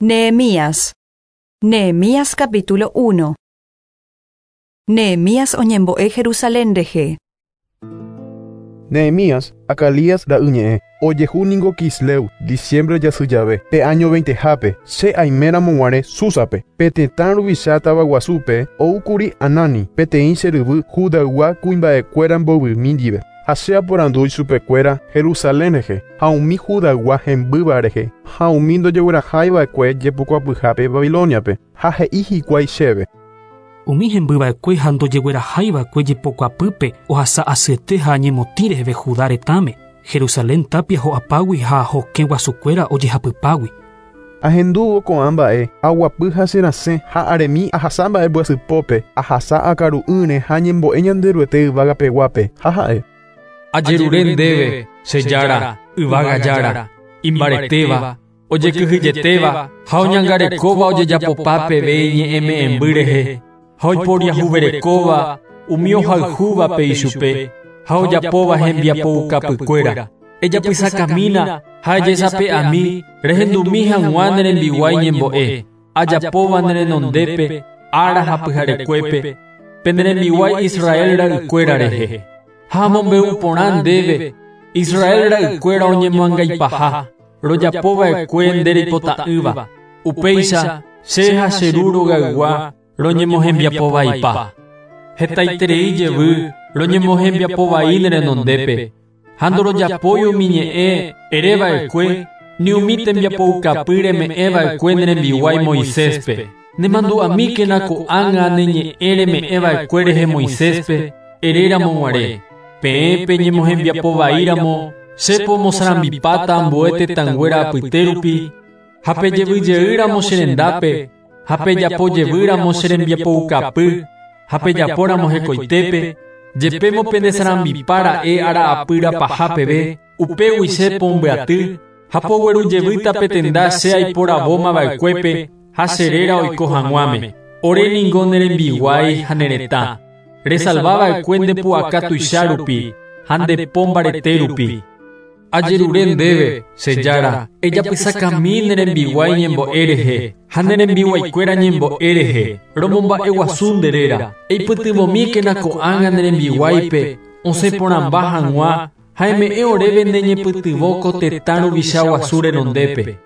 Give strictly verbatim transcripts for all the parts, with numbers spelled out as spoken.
Nehemías. Nehemías capítulo uno. Nehemías oñembo'e Jerusalén rehe. Nehemías, Acalías ra'yñe'ẽ, ojehu ningo Quisleu, diciembre jasy jave, pe año veintehápe, che aiméramo guare Súsape, pe tetã ruvicha tavaguasúpe, oúkuri Anani, peteĩ che ryvy Judaygua kuimba'ekuéra mbovymi ndive, ha che aporandu ichupekuéra Jerusalén rehe, ha umi Judaygua hembýva rehe, ha umi ndojeguerahaiva'ekue jepokuapyhápe Babiloniape, ha he'i hikuái chéve. Umi hembyva'ekue ha ndojeguerahaiva'ekue jepokuapýpe ohasa asyete ha ñemotĩ reheve Judá retãme, Jerusalén tapia ho'apágui ha hokẽ guasukuéra ojehapypágui. Ahendúvo ko'ã mba'e, aguapy ha cherasẽ ha aremi ahasa mba'embyasypópe, ahasa akaru'ỹre ha ñembo'e Ñanderuete yvágapeguápe, ha ha'e. Ajerure ndéve, che Jára, yvága Jára, imbaretéva, ojekyhyjetéva ha oñangarekóva ojejapopa peve iñe'ẽme'ẽmby rehe, ha oiporiahuverekóva umi ohayhúvape ichupe, ha ojapóva hembiapoukapykuéra. Ejapysakamína ha ejesape'ami rehendumi hag̃ua ne rembiguái ñembo'e, ajapóva ne renondépe, ára ha pyharekuépe, pene rembiguái Israel ra'ykuéra rehe. Ha amombe'u porã ndéve, Israel ra'ykuéra oñemoangaipaha, rojapóva'ekue nde reipota'ỹva. Upéicha che ha che ru rogaygua roñemohembiapovaipa. Hetaiterei jevy roñemohembiapovai ne renondépe. Ha ndorojapói umi ñe'ẽ ereva'ekue ni umi tembiapoukapy reme'ẽva'ekue ne rembiguái Moiséspe. Nemandu'amíkena ko'ág̃a ne ñe'ẽ reme'ẽva'ekue rehe Moiséspe eréramo guare. Peẽ peñemohembiapovaíramo che pomosarambipáta ambue tetãnguéra apytérupi ha pejevyjeýramo che rendápe ha pejapojevýramo che rembiapoukapy ha pejapóramo hekoitépe jepémo pendesarambipára'e ara'apýra paha peve upégui che pombyaty ha poguerujevýta petenda che aiporavómava'ekuépe ha che réra oiko hag̃uáme. Ore ningo ne rembiguái ha ne retã. Resalvava'ekue nde pu'aka tuicha rupi ha nde po mbarete rupi. Ajerure ndéve, che Jára, ejapysakami ne rembiguái ñembo'e rehe ha ne rembiguaikuéra ñembo'e rehe, romomba'eguasu nde réra. Eipytyvõmíkena ko'ág̃a ne rembiguáipe osẽ porãmba hag̃ua ha eme'ẽ oréve ne ñepytyvõ ko tetã ruvicha guasu renondépe.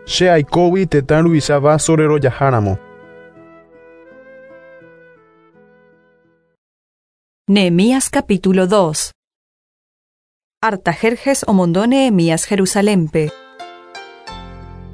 Che aikógui tetã ruvicha vaso rerojaháramo. Nehemías capítulo dos. Artajerjes omondo Nehemías Jerusalénpe.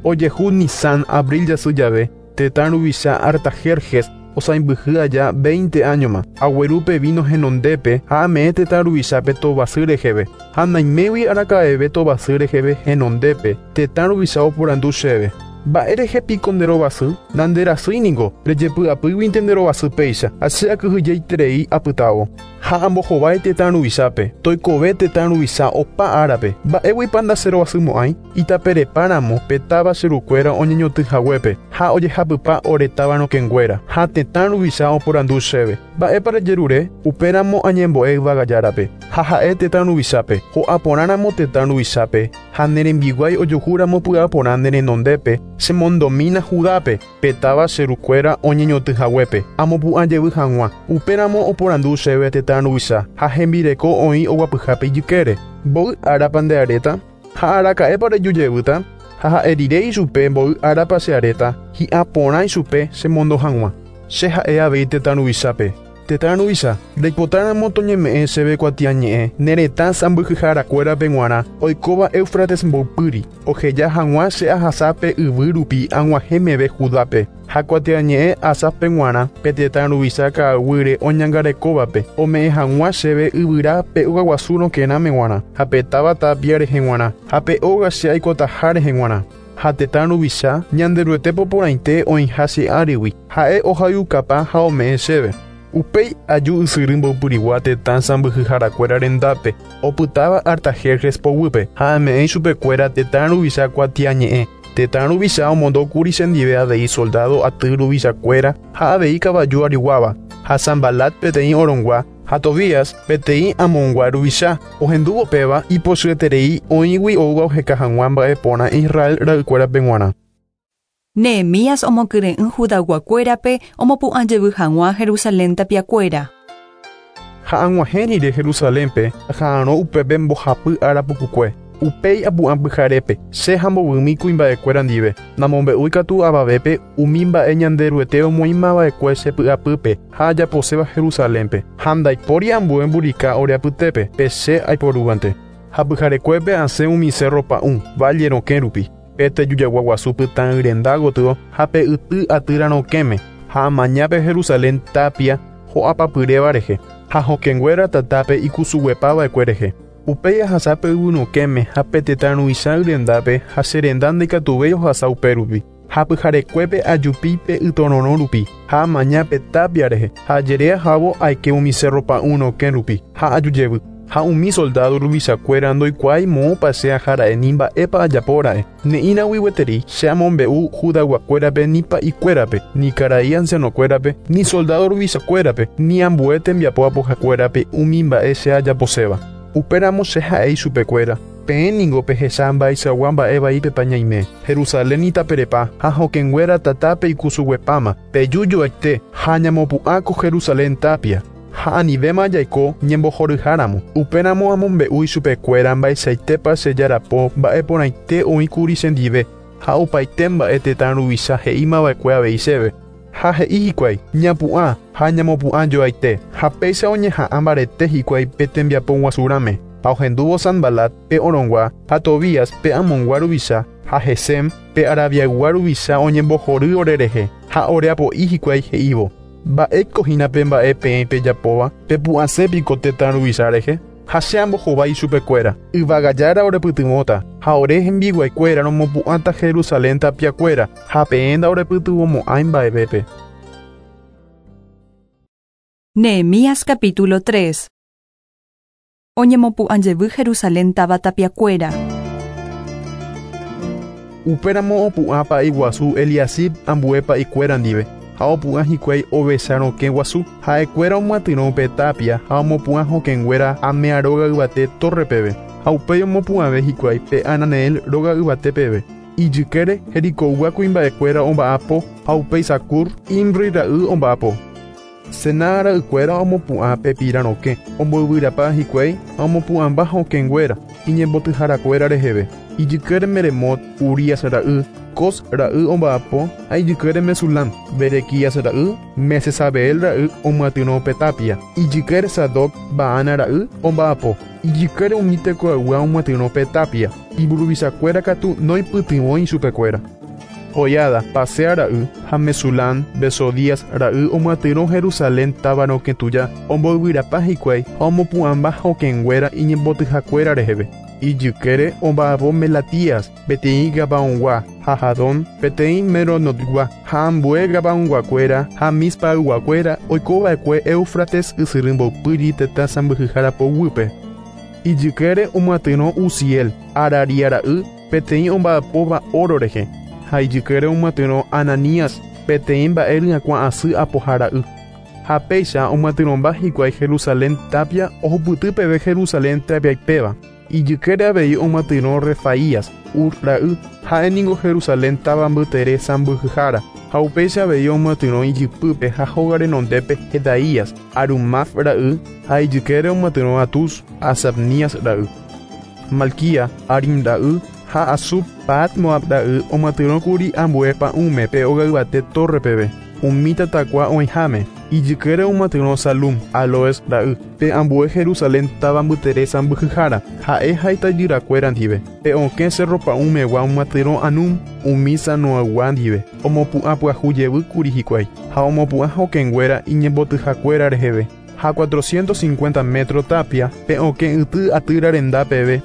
Ojehu Nisan abril jasy jave, tetã ruvicha Artajerjes osãimbyhy aja veinte áñoma, aguerúpe vino henondépe ha ame'ẽ tetã ruvichápe tovasy reheve, ha naimégui araka'eve tovasy reheve henondépe, tetã ruvicha oporandu chéve. Mba'érehe piko nderovasy, nanderasýi ningo, rejepy'apýguinte nderovasy péicha, ha che akyhyjeiterei apytávo. Ha ambohovái tetã ruvichápe, toikove tetã ruvicha opa árape, mba'éguipa ndacherovasymo'ãi, itaperepáramo pe táva che rukuéra oñeñotỹhaguépe, ha ojehapypa ore táva rokẽnguéra, ha tetã ruvicha oporandu chéve. Mba'épa rejerure, upéramo añembo'e yvága Járape, ha ha'e tetã ruvichápe, ho'a porãramo tetã ruvichápe, ha ne rembiguái ojuhúramo py'aporã ne renondépe, chemondomína Judápe, pe táva che rukuéra oñeñotỹhaguépe, amopu'ãjevy hag̃ua. Upéramo oporandu chéve tetã ruvicha, ha hembireko oĩ oguapyhápe ijykére. Mboy árapa nde aréta, ha araka'épa rejujevýta, ha ha'e rire ichupe mboy árapa che aréta, hi'a porã ichupe chemondo hag̃ua. Che ha'e avei tetã ruvichápe. Tetã ruvicha, reipotáramo toñeme'ẽ chéve kuatiañe'ẽ ne retã sãmbyhyharakuérape g̃uarã oikóva Éufrates mboypýri, oheja hag̃ua che ahasápe yvy rupi ag̃uahẽ meve Judápe, ha kuatiañe'ẽ Asápe g̃uarã pe tetã ruvicha ka'aguýre oñangarekóvape, ome'ẽ hag̃ua chéve yvyra pe ogaguasu rokẽrãme g̃uarã, ha pe táva tapia rehe g̃uarã, ha pe óga che aikotaha rehe g̃uarã. Ha tetã ruvicha Ñanderuete poporãite oĩha che árigui, ha'e ohayhukapa ha ome'ẽ chéve. Upéi aju ysyry mboypyrigua tetã sãmbyhyharakuéra rendápe, opytáva Artajerjes poguýpe, ha ame'ẽ ichupekuéra tetã ruvicha kuatiañe'ẽ. Tetã ruvicha omondókuri chendive avei soldado aty ruvichakuéra ha avei kavaju ariguáva, ha Sambalat peteĩ orongua, ha Tobías peteĩ amongua ruvicha, ohendúvo péva ipochyeterei oĩgui oúva oheka hag̃ua mba'e porã Israel ra'ykuérape g̃uarã. Nehemías omokyre'ỹ Judayguakuérape omopu'ã jevy hag̃ua Jerusalén tapiakuéra. Ha ag̃uahẽ rire Jerusalénpe aha'arõ upépe mbohapy ára pukukue. Upéi apu'ã pyharépe che ha mbovymi kuimba'ekuéra ndive. Namombe'úi katu avavépe umi mba'e Ñanderuete omoĩmava'ekue che py'apýpe ha ajaposéva Jerusalénpe. Ha ndaipóri ambue mburika ore apytépe pe che aiporúvante. Ha pyharekuépe asẽ umi cerro pa'ũ valle rokẽ rupi. Pe tejujagua guasu pytã yrenda gotyo ha pe yty atýra rokẽme ha amañápe Jerusalén tapia ho'apapyréva rehe ha hokẽnguéra tatápe ikusuguepava'ekue rehe. Upéi ahasápe yvyrokẽme ha pe tetã ruvicha yrendápe ha che renda ndaikatuvéi ohasa upérupi. Ha pyharekuépe ajupi pe ytororõ rupi ha amaña pe tapia rehe ha ajere ahávo aike umi cerro pa'ũ rokẽ rupi ha ajujevy. Ha umi soldado ruvichakuéra ndoikuaái moõpa che ahara'e ni mba'épa ajapóra'e. Ne'írãgui gueteri che amombe'u Judayguakuérape ni pa'ikuérape, ni karai ancianokuérape, ni soldado ruvichakuérape, ni ambue tembiapo apohakuérape umi mba'e che ajaposéva. Upéramo che ha'e ichupekuéra. Peẽ ningo pehecha mba'eichagua mba'e vaípepa ñaime. Jerusalén itaperepa ha hokẽnguéra tatápe ikusuguepáma. Pejujoaite ha ñamopu'ã ko Jerusalén tapia. Ha anivéma jaiko ñembohoryháramo. Upéramo amombe'u ichupekuéra mba'eichaitépa che jarapo mba'e porãite oĩkuri chendive ha opaite mba'e tetã ruvicha he'ímava'ekue avei chéve. Ha he'i hikuái ñapu'ã ha ñamopu'ã joaite ha péicha oñeha'ã mbarete hikuái pe tembiapo guasurãme. Ha ohendúvo Sanbalat pe Orongua ha Tobías pe Amongua ruvicha ha Gesem pe Arabiaygua ruvicha oñembohory ore rehe ha oreapo'i hikuái he'ívo. Mba'éiko hína pe mba'e peẽ pejapóva pepu'ãsépiko tetã ruvicha rehe ha che ambohovái ichupekuéra. Yvagajára orepytyvõta ha ore hembiguaikuéra romopu'ãta Jerusalén tapiakuéra ha peẽ ndaorepytyvõmo'ãi mba'evépe. Nehemías capítulo tres. Oñemopu'ã jevy Jerusalén táva tapiakuéra. Upéramo opu'ã pa'i guasu Eliasib ambue pa'ikuéra ndive. Ha opu'ã hikuái ovecha rokẽ guasu ha'ekuéra omyatyrõ pe tapia ha omopu'ã hokẽnguéra Amea róga yvate torre peve. Ha upéi omopu'ãve hikuái pe Ananeel róga yvate peve. Ijykére Jericogua kuimba'ekuéra omba'apo ha upéi Sakur Imri ra'y omba'apo. Sená ra'ykuéra omopu'ã pe pira rokẽ omboyvyrapa hikuái ha omopu'ãmba hokẽnguéra iñembotyharakuéra reheve. Ijykére Meremot Urías ra'y Cos ra'y omba'apo ha ijykére Mesulam Berequías ra'y Mesesabeel ra'y omyatyrõ pe tapia. Ijykére Sadoc Baana ra'y omba'apo. Ijykére umi tekoaygua omyatyrõ pe tapia. Imburuvichakuéra katu noipytyvõi ichupekuéra. Joiada Pasea ra'y ha Mesulam Besodías ra'y omyatyrõ Jerusalén táva rokẽ tuja omboyvyrapa hikuái ha omopu'ãmba hokẽnguéra iñembotyhakuéra reheve. Ijykére omba'apo Melatías peteĩ Gabaongua ha Jadón peteĩ Meronotgua ha ambue Gabaonguakuéra ha Mispayguakuéra oikova'ekue Éufrates ysyry mboypýri tetã sãmbyhyhára poguýpe. Ijykére omyatyrõ Uziel Araria ra'y peteĩ omba'apóva oro rehe ha ijykére omyatyrõ Ananías peteĩ mba'e ryakuã asy apoha ra'y. Ha péicha omyatyrõmba hikuái Jerusalén tapia ohupyty peve Jerusalén tapiaipéva. Ijykére avei omyatyrõ Refaías Ur ra'y ha'e ningo Jerusalén táva mbytere sãmbyhyhára ha upéicha avei omyatyrõ ijypýpe ha hóga renondépe Jedaías Arumaf ra'y ha ijykére omyatyrõ Atus Asapnías ra'y. Malquía Arim ra'y ha Asub Pahat Moab ra'y omyatyrõkuri ambue pa'ũme pe óga yvate torre peve umi tatakua oĩháme. Ijykére omyatyrõ Salum Aloes ra'y pe ambue Jerusalén táva mbytere sãmbyhyhára ha'e ha itajyrakuéra ndive. Pe okẽ cerro pa'ũmegua omyatyrõ Anum umi Sanoaygua ndive omopu'ã pyahu jevýkuri hikuái ha omopu'ã hokẽnguéra iñembotyhakuéra reheve ha cuatrocientos cincuenta metro tapia pe okẽ yty atýra renda peve.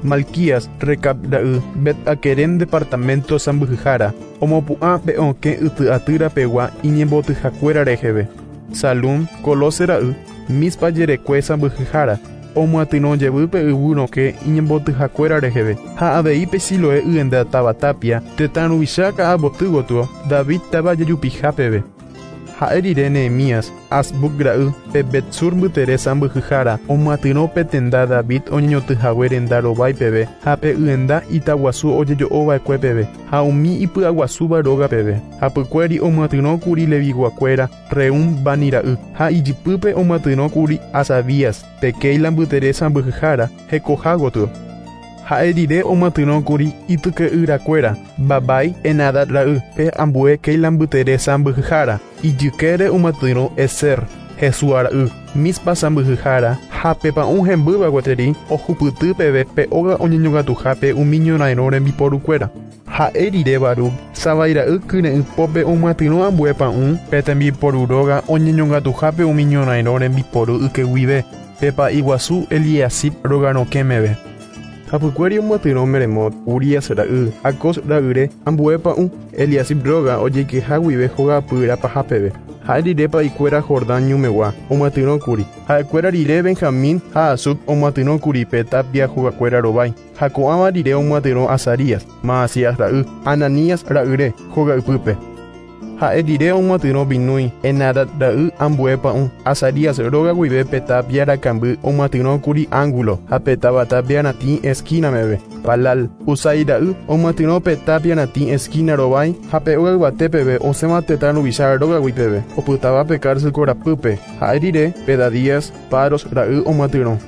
Malquías Recab ra'y Bet-Hakerem departamento sãmbyhyhára omopu'ã pe okẽ yty atýra pegua iñembotyhakuéra reheve. Salum Colose ra'y Mispa jerekue sãmbyhyhára omyatyrõ jevy pe yvy rokẽ iñembotyhakuéra reheve ha avei pe Siloe yenda táva tapia tetã ruvicha ka'avoty gotyo David táva jejupiha peve. Ha'e rire Nehemías, Azbuc ra'y, pe Betsur mbytere sãmbyhyhára, omyatyrõ pe tenda David oñeñotỹhague renda rovái peve ha pe yenda itaguasu ojejo'ova'ekue peve ha umi ipy'aguasúva róga peve. Hapykuéri omyatyrõkuri Leviguakuéra Reum Bani ra'y ha ijypýpe omyatyrõkuri Asavías, pe Keila mbytere sãmbyhyhára hekoha gotyo. Ha'e rire omyatyrõkuri ityke'yrakuéra Babai Enadad ra'y pe ambue Keila mbytere sãmbyhyhára, ijykére omyatyrõ Ezer, Jesúa ra'y, Mispa sãmbyhyhára ha pe pa'ũ hembýva gueteri ohupyty peve pe óga oñeñongatuhápe umi ñorairõ rembiporukuéra. Ha'e rire Baruc, Sabai ra'y kyre'ỹpópe omyatyrõ ambue pa'ũ pe tembiporu róga oñeñongatuhápe umi ñorairõ rembiporu yke guive, pe pa'i guasu Eliasib róga rokẽ meve. Hapykuéri omyatyrõ Meremot, Urías ra'y, Acos ra'yre ambue pa'ũ Eliasib róga ojeikeha guive hogapy paha peve. Ha'e rire pa'ikuéra Jordán ñumegua omyatyrõkuri. Ha'ekuéra rire Benjamín ha Hasub omyatyrõkuri pe tapia hogakuéra rovái. Ha ko'ãva rire omyatyrõ Azarías, Maasías ra'y, Ananías ra'yre hogaypýpe. Ha'e rire omyatyrõ Binúi, Enadad ra'y ambue pa'ũ Azarías róga guive pe tapia rakamby omyatyrõkuri ángulo ha pe táva tapia ratĩ esquina meve. Palal, Usai ra'y omyatyrõ pe tapia ratĩ esquina rovái ha pe óga yvate peve osẽva tetã ruvicha rógagui peve opytáva pe cárcel korapýpe. Ha'e rire Pedadías, Paros ra'y omyatyrõ.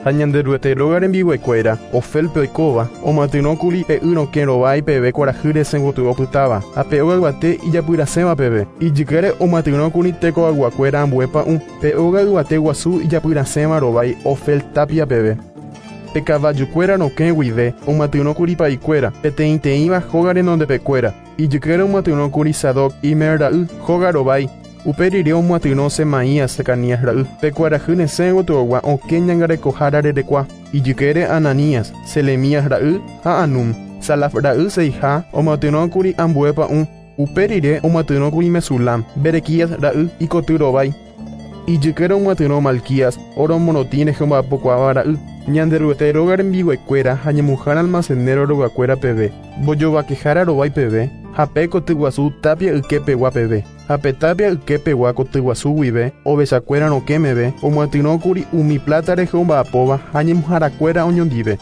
Ha Ñanderuete róga rembiguaikuéra Ofelpe oikóva omyatyrõkuri pe y rokẽ rovái peve kuarahy resẽ gotyo opytáva ha pe óga yvate ijapyrasẽva peve. Ijykére omyatyrõkuri tekoayguakuéra ambue pa'ũ pe óga yvate guasu ijapyrasẽva rovái Ofel tapia peve. Pe kavajukuéra rokẽ guive omyatyrõkuri pa'ikuéra peteĩteĩva hóga renondepekuéra. Ijykére omyatyrõkuri Sadoc Imer ra'y hóga rovái. Upe rire omyatyrõ Semaías Secanías ra'y pe kuarahy resẽ gotyogua okẽ ñangarekohára rerekua. Ijykére Ananías, Selemías ra'y ha Anum, Salaf ra'y seiha omyatyrõkuri ambue pa'ũ. Upe rire omyatyrõkuri Mesulam, Berequías ra'y ikoty rovái. Ijykére omyatyrõ Malquías, oro morotĩ rehe omba'apokuaáva ra'y. Ñanderuete róga rembiguaikuéra ha ñemuhára almacenero rogakuéra peve, mbojovakehára rovái peve, ha pe kotyguasu tapia yképegua peve. Ha pe tapia yképegua kotyguasu guive, ovechakuéra rokẽ meve, omyatyrõkuri umi plata rehe omba'apóva ha ñemuharakuéra oñondive.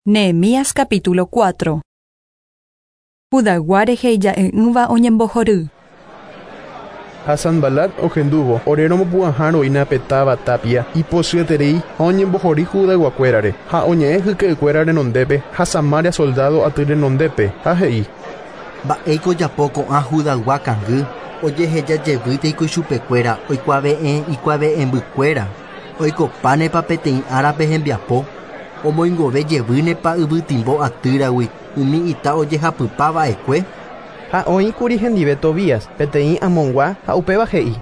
Nehemías capítulo cuatro. Judaygua rehe ija'e'ỹva oñembohory. Ha Sanbalat ohendúvo ore romopu'ãha pe táva tapia ipochyeterei ha oñembohory Judayguakuérare ha oñe'ẽ hyke'ykuéra renondépe ha Samaria soldado aty renondépe ha he'i: Mba'éiko ojapo ko'ã Judaygua kangy ojehejajevýta ichupekuéra oikuave'ẽ ikuave'ẽmbykuéra oikopánepa peteĩ árape hembiapo omoingovejevýnepa yvytimbo atýragui umi ita ojehapypava'ekue. Ha oĩkuri hendive Tobías, peteĩ Amongua ha upéva he'i: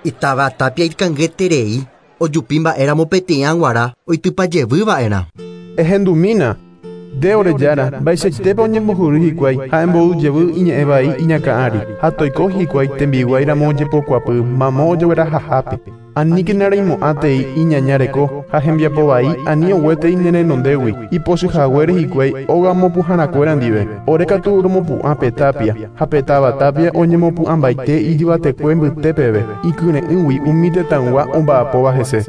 Itáva tapia ikangeterei ojupi mba'éramo peteĩ aguara oitypajevýva'erã. Ehendumína, nde ore jára, mba'eichaitépa oñembohory hikuái ha emboyjevy iñe'ẽvai iñakã ári ha toiko hikuái tembiguáiramo ojepokuapy mamo ojeguerahahápe. Aníkena reimo'ãtei iñaña reko ha hembiapovai ani oguétei ne renondégui ipochyhaguére hikuái óga mopu'ãharakuéra ndive. Ore katu romopu'ã pe tapia ha pe táva tapia oñemopu'ãmbaite ijyvatekue mbyte peve ikyre'ỹgui umi tetãygua omba'apóva hese.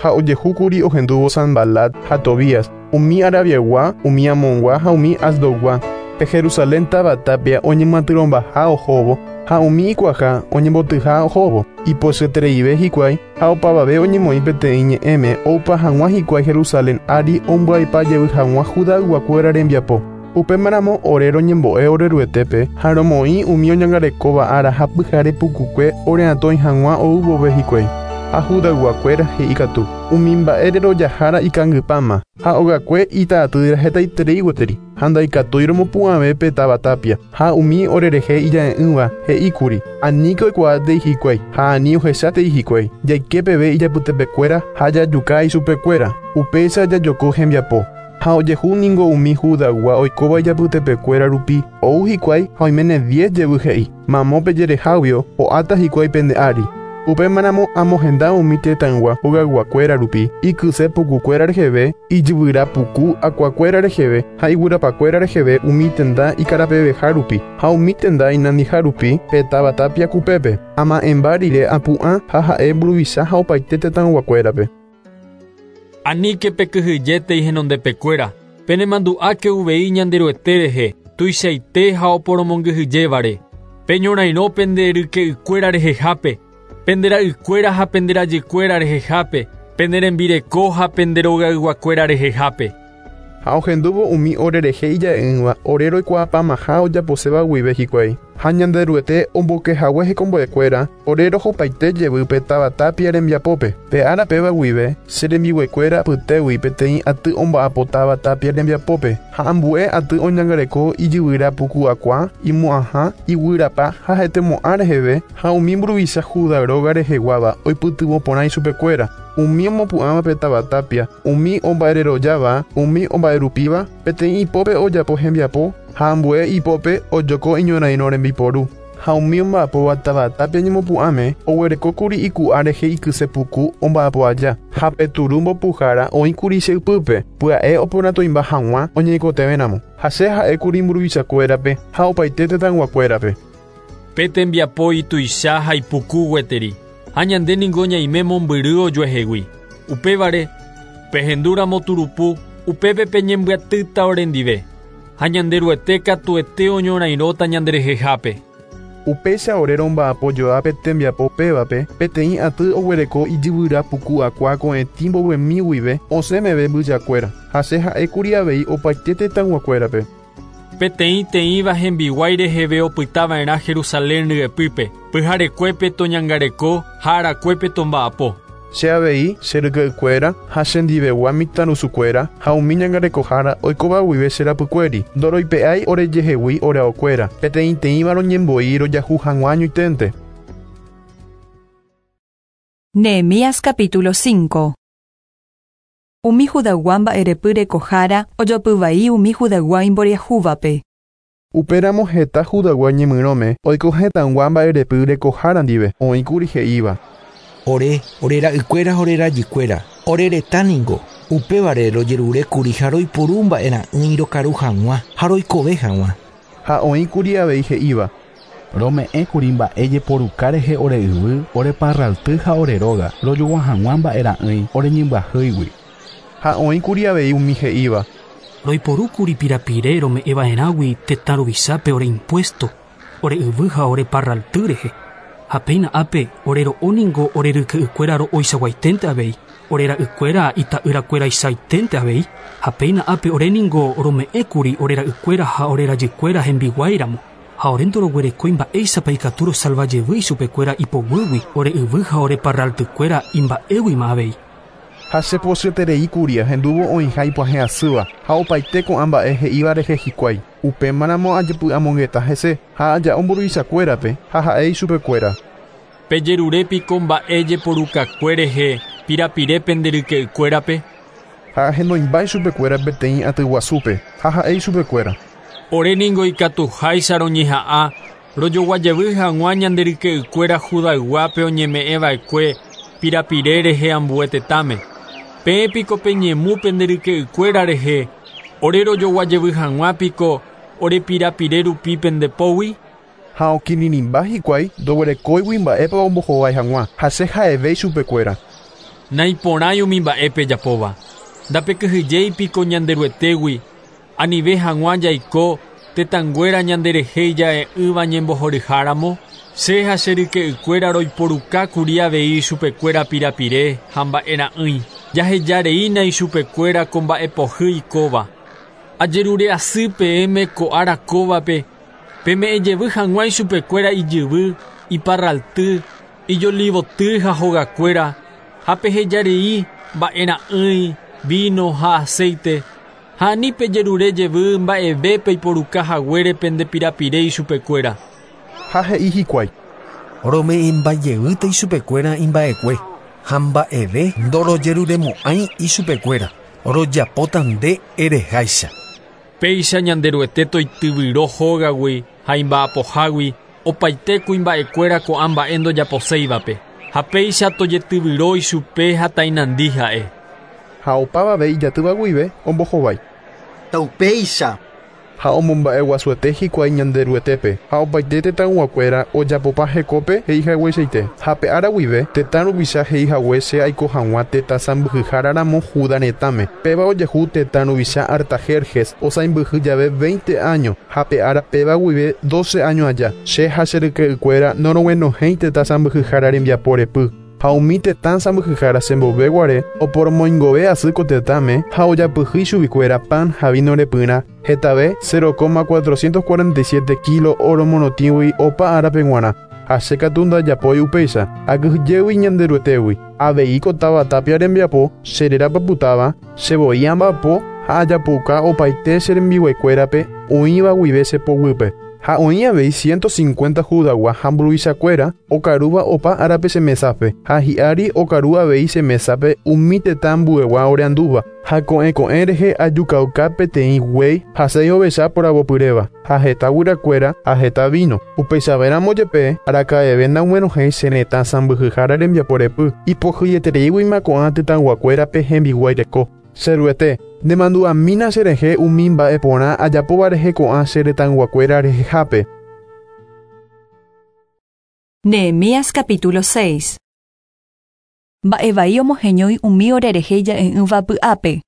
Ha ojehúkuri ohendúvo Sanbalat ha Tobías, umi Arabiaygua, umi Amongua ha umi Asdodgua, pe Jerusalén táva tapia oñemyatyrõmbaha ohóvo ha umi ikuaha oñembotyha ohóvo. Ipochyetereive hikuái ha opavave oñemoĩ peteĩ ñe'ẽme oupa hag̃ua hikuái Jerusalén ári ombyaipajevy hag̃ua Judayguakuéra rembiapo. Upémaramo ore roñembo'e oreruetépe ha romoĩ umi oñangarekóva ára ha pyhare pukukue oreatõi hag̃ua ou vove hikuái. Ha Judayguakuéra he'i katu umi mba'ére rojahára ikangypáma ha ogakue ita'atýra hetaiterei gueteri ha ndaikatúi romopu'ãve pe táva tapia ha umi orerehe ija'e'ỹva he'íkuri aníke oikuaátei hikuái ha ani ohechátei hikuái jaike peve ijapytepekuéra ha jajuka ichupekuéra upéicha jajoko hembiapo. Ha ojehu ningo umi Judaygua oikóva ijapytepekuéra rupi ou hikuái ha oiméne diez jevy he'i mamo pejereháguio ho'áta hikuái pende ári. Upémaramo amohenda umi tetãygua hogayguakuéra rupi, ikyse pukukuéra reheve, ijyvyra puku akuakuéra reheve ha iguyrapakuéra reheve umi tenda ikarapeveha rupi ha umi tenda inandiha rupi pe táva tapia kupépe. Ama'ẽmba rire apu'ã ha ha'e mburuvicha ha opaite tetãyguakuérape. Anike pekyhyjétei henondepekuéra, penemandu'áke uvei Ñanderuete rehe, tuichaite ha oporomongyhyjévare. Peñorairõ pende ryke'ykuéra rehehápe, pendera'ykuéra ha penderajykuéra rehehápe, penderembireko ha penderogayguakuéra rehehápe. Ha ohendúvo umi orerehe ija'e'ỹva ore roikuaapamaha ojaposéva guive hikuái. Ha Ñanderuete ombokehague hekombo'ekuéra ore rohopaite jevy pe táva tapia rembiapópe. Pe ára péva guive che rembiguaikuéra apytégui peteĩ aty omba'apo táva tapia rembiapópe ha ambue aty oñangareko ijyvyra puku akua, imo'ãha, iguyrapa ha hetemo'ã reheve ha umi mburuvicha Judá róga reheguáva oipytyvõ porã ichupekuéra. Umi omopu'ãva pe táva tapia, umi omba'ererojáva, umi omba'erupíva, peteĩ ipópe ojapo hembiapo ha ambue ipópe ojoko iñorairõ rembiporu. Ha umi omba'apóva táva tapia ñemopu'ãme oguerekókuri iku'a rehe ikyse puku omba'apo aja ha pe turu mbopuhára oĩkuri che ypýpe pya'e oporãtoimba hag̃ua oñeikotevẽramo. Ha che ha'ékuri mburuvichakuérape ha opaite tetãyguakuérape. Pe tembiapo ituicha ha ipuku gueteri. Ha ñande ningo ñaime mombyry ojuehegui. Upévare, pehendúramo turupu, upépe peñembyatýta orendive. Ha Ñanderuete katuete oñorairõta ñanderehehápe. Upéicha ore romba'apo joa pe tembiapo pévape, peteĩ aty oguereko ijyvyra puku akua ko'ẽtĩ mbovymi guive osẽ meve mbyjakuéra. Ha che ha'ékuri avei opaite tetãyguakuérape. Peteĩ teĩva hembiguái reheve opytava'erã Jerusalén ryepýpe, pyharekuépe toñangareko ha arakuépe tomba'apo. Che avei che ryke'ykuéra ha chendivegua mitãrusukuéra ha umi ñangarekohára oikóva guive che rapykuéri ndoroipe'ái orejehegui oreaokuéra peteĩteĩva roñemboi rojahu hag̃ua añoiténte. Nehemías capítulo cinco. Umi Judaygua mba'erepy rekohára ojopyvai umi Judaygua imboriahúvape. Upéramo heta Judaygua ñemyrõme oiko hetãygua mba'erepy rekohára ndive oĩkuri he'íva. Ore, orera'ykuéra ha orerajykuéra, ore retã ningo, upévare rojerurékuri ha roipuru mba'era'ỹi rokaru hag̃ua ha roikove hag̃ua. Ha oĩkuri avei he'íva. Rome'ẽkuri mba'e jeporuka rehe ore yvy, ore parralty ha ore róga, rojogua hag̃ua mba'era'ỹi oreñembyahýigui. Ha oĩkuri avei umi he'íva. Roiporúkuri pirapire rome'ẽva'erãgui tetã ruvichápe ore impuesto, ore yvy ha ore parralty rehe. Ha péina ápe ore ro'o ningo ore ryke'ykuéra ro'oichaguaiténte avei, ore ra'ykuéra ita'yrakuéraichainténte avei, ha péina ápe ore ningo rome'ẽkuri ore ra'ykuéra ha ore rajykuéra hembiguáiramo, ha ore ndoroguerekói mba'éichapa ikatu rosalvajevy ichupekuéra ipoguýgui ore yvy ha ore parraltykuéra imba'éguima avei. Ha chepochyetereíkuri ahendúvo oĩha ipyahẽ'asýva ha opaite ko'ã mba'e he'íva rehe hikuái. Upémaramo ajepy'amongeta hese ha aja'o mburuvichakuérape ha ha'e ichupekuéra. Pejerurépiko mba'e jeporukakue rehe pirapire pende ryke'ykuérape. Ha ahenoimba ichupekuéra peteĩ aty guasúpe ha ha'e ichupekuéra. Ore ningo ikatuháicha roñeha'ã rojoguajevy hag̃ua ñande ryke'ykuéra Judayguápe oñeme'ẽva'ekue pirapire rehe ambue tetãme. Peẽ piko peñemu pende ryke'ykuéra rehe, ore rojoguajevy hag̃ua piko ore pirapire rupi pendepógui. Ha okirirĩmba hikuái ndoguerekóigui mba'épa ombohovái hag̃ua ha che ha'eve ichupekuéra. Naiporãi umi mba'e pejapóva. Ndapekyhyjéi piko Ñanderuetégui, anive hag̃ua jaiko tetãnguéra ñanderehe ija'e'ỹva ñembohoryháramo. Che ha che ryke'ykuéra roiporukákuri avei ichupekuéra pirapire ha mba'era'ỹi. Jahejareína ichupekuéra ko mba'epohýi kóva. Ajerure'asy peẽme ko ára kóvape, peme'ẽjevy hag̃ua ichupekuéra ijyvy, iparralty, ijolivoty ha hogakuéra, ha pehejarei mba'era'ỹi, vino ha aceite, ha ani pejerurejevy mba'eve peiporuka haguére pende pirapire ichupekuéra. Ha he'i hikuái. Rome'ẽmbajevýta ichupekuéra imba'ekue ha mba'eve ndorojeruremo'ãi ichupekuéra, rojapóta nde ereháicha. Péicha Ñanderuete toityvyro hógagui ha imba'apohágui opaite kuimba'ekuéra ko'ã mba'e ndojaposéivape. Ha péicha tojetyvyro ichupe ha tainandi ha'e. Ha opavave ijatýva guive ombohovái. Taupéicha. Ha omomba'eguasuete hikuái Ñanderuetépe ha opaite tetãyguakuéra ojapopa hekópe he'ihagueichaite. Ha pe ára guive tetã ruvicha he'ihague che aiko hag̃ua tetã sãmbyhyháraramo Judá retãme. Péva ojehu tetã ruvicha Artajerjes osãimbyhy jave veinte año ha pe ára péva guive doce año aja. Che ha che ryke'ykuéra noroguenohẽi tetã sãmbyhyhára rembiapo repy. Ha umi tetã sãmbyhyhára chemboveguare oporomoingove asy ko tetãme ha ojapyhy chuguikuéra pan ha vino repyrã hetave cero coma cuatrocientos cuarenta y siete kilo oro morotĩgui opa árape g̃uarã. Ha che katu ndajapói upéicha akyhyjégui Ñanderuetégui. Avei ko táva tapia rembiapo che rerapapytáva che voi amba'apo ha ajapouka opaite che rembiguaikuérape oĩva guive che poguýpe. Ha oĩ avei ciento cincuenta Judagua ha mburuvichakuéra okarúva opa árape che mesápe ha hi'ári okaru avei che mesápe umi tetã ambuegua oreandúva ha ko'ẽ ko'ẽ rehe ajukauka peteĩ guéi ha seis ovecha poravopyréva ha heta guyrakuéra ha heta vino. Upeichavéramo jepe araka'eve ndaguenohẽi che retã sãmbyhyhára rembiapo repy ipohýietereíguima ko'ã tetãyguakuérape hembiguái reko. Cheruete, nemandu'amína cherehe umi mba'e porã ajapóva rehe ko'ã che retãyguakuéra rehehápe. Nehemías capítulo seis. Mba'evai omoheñói umi orerehe ja'e'ỹva py'ápe.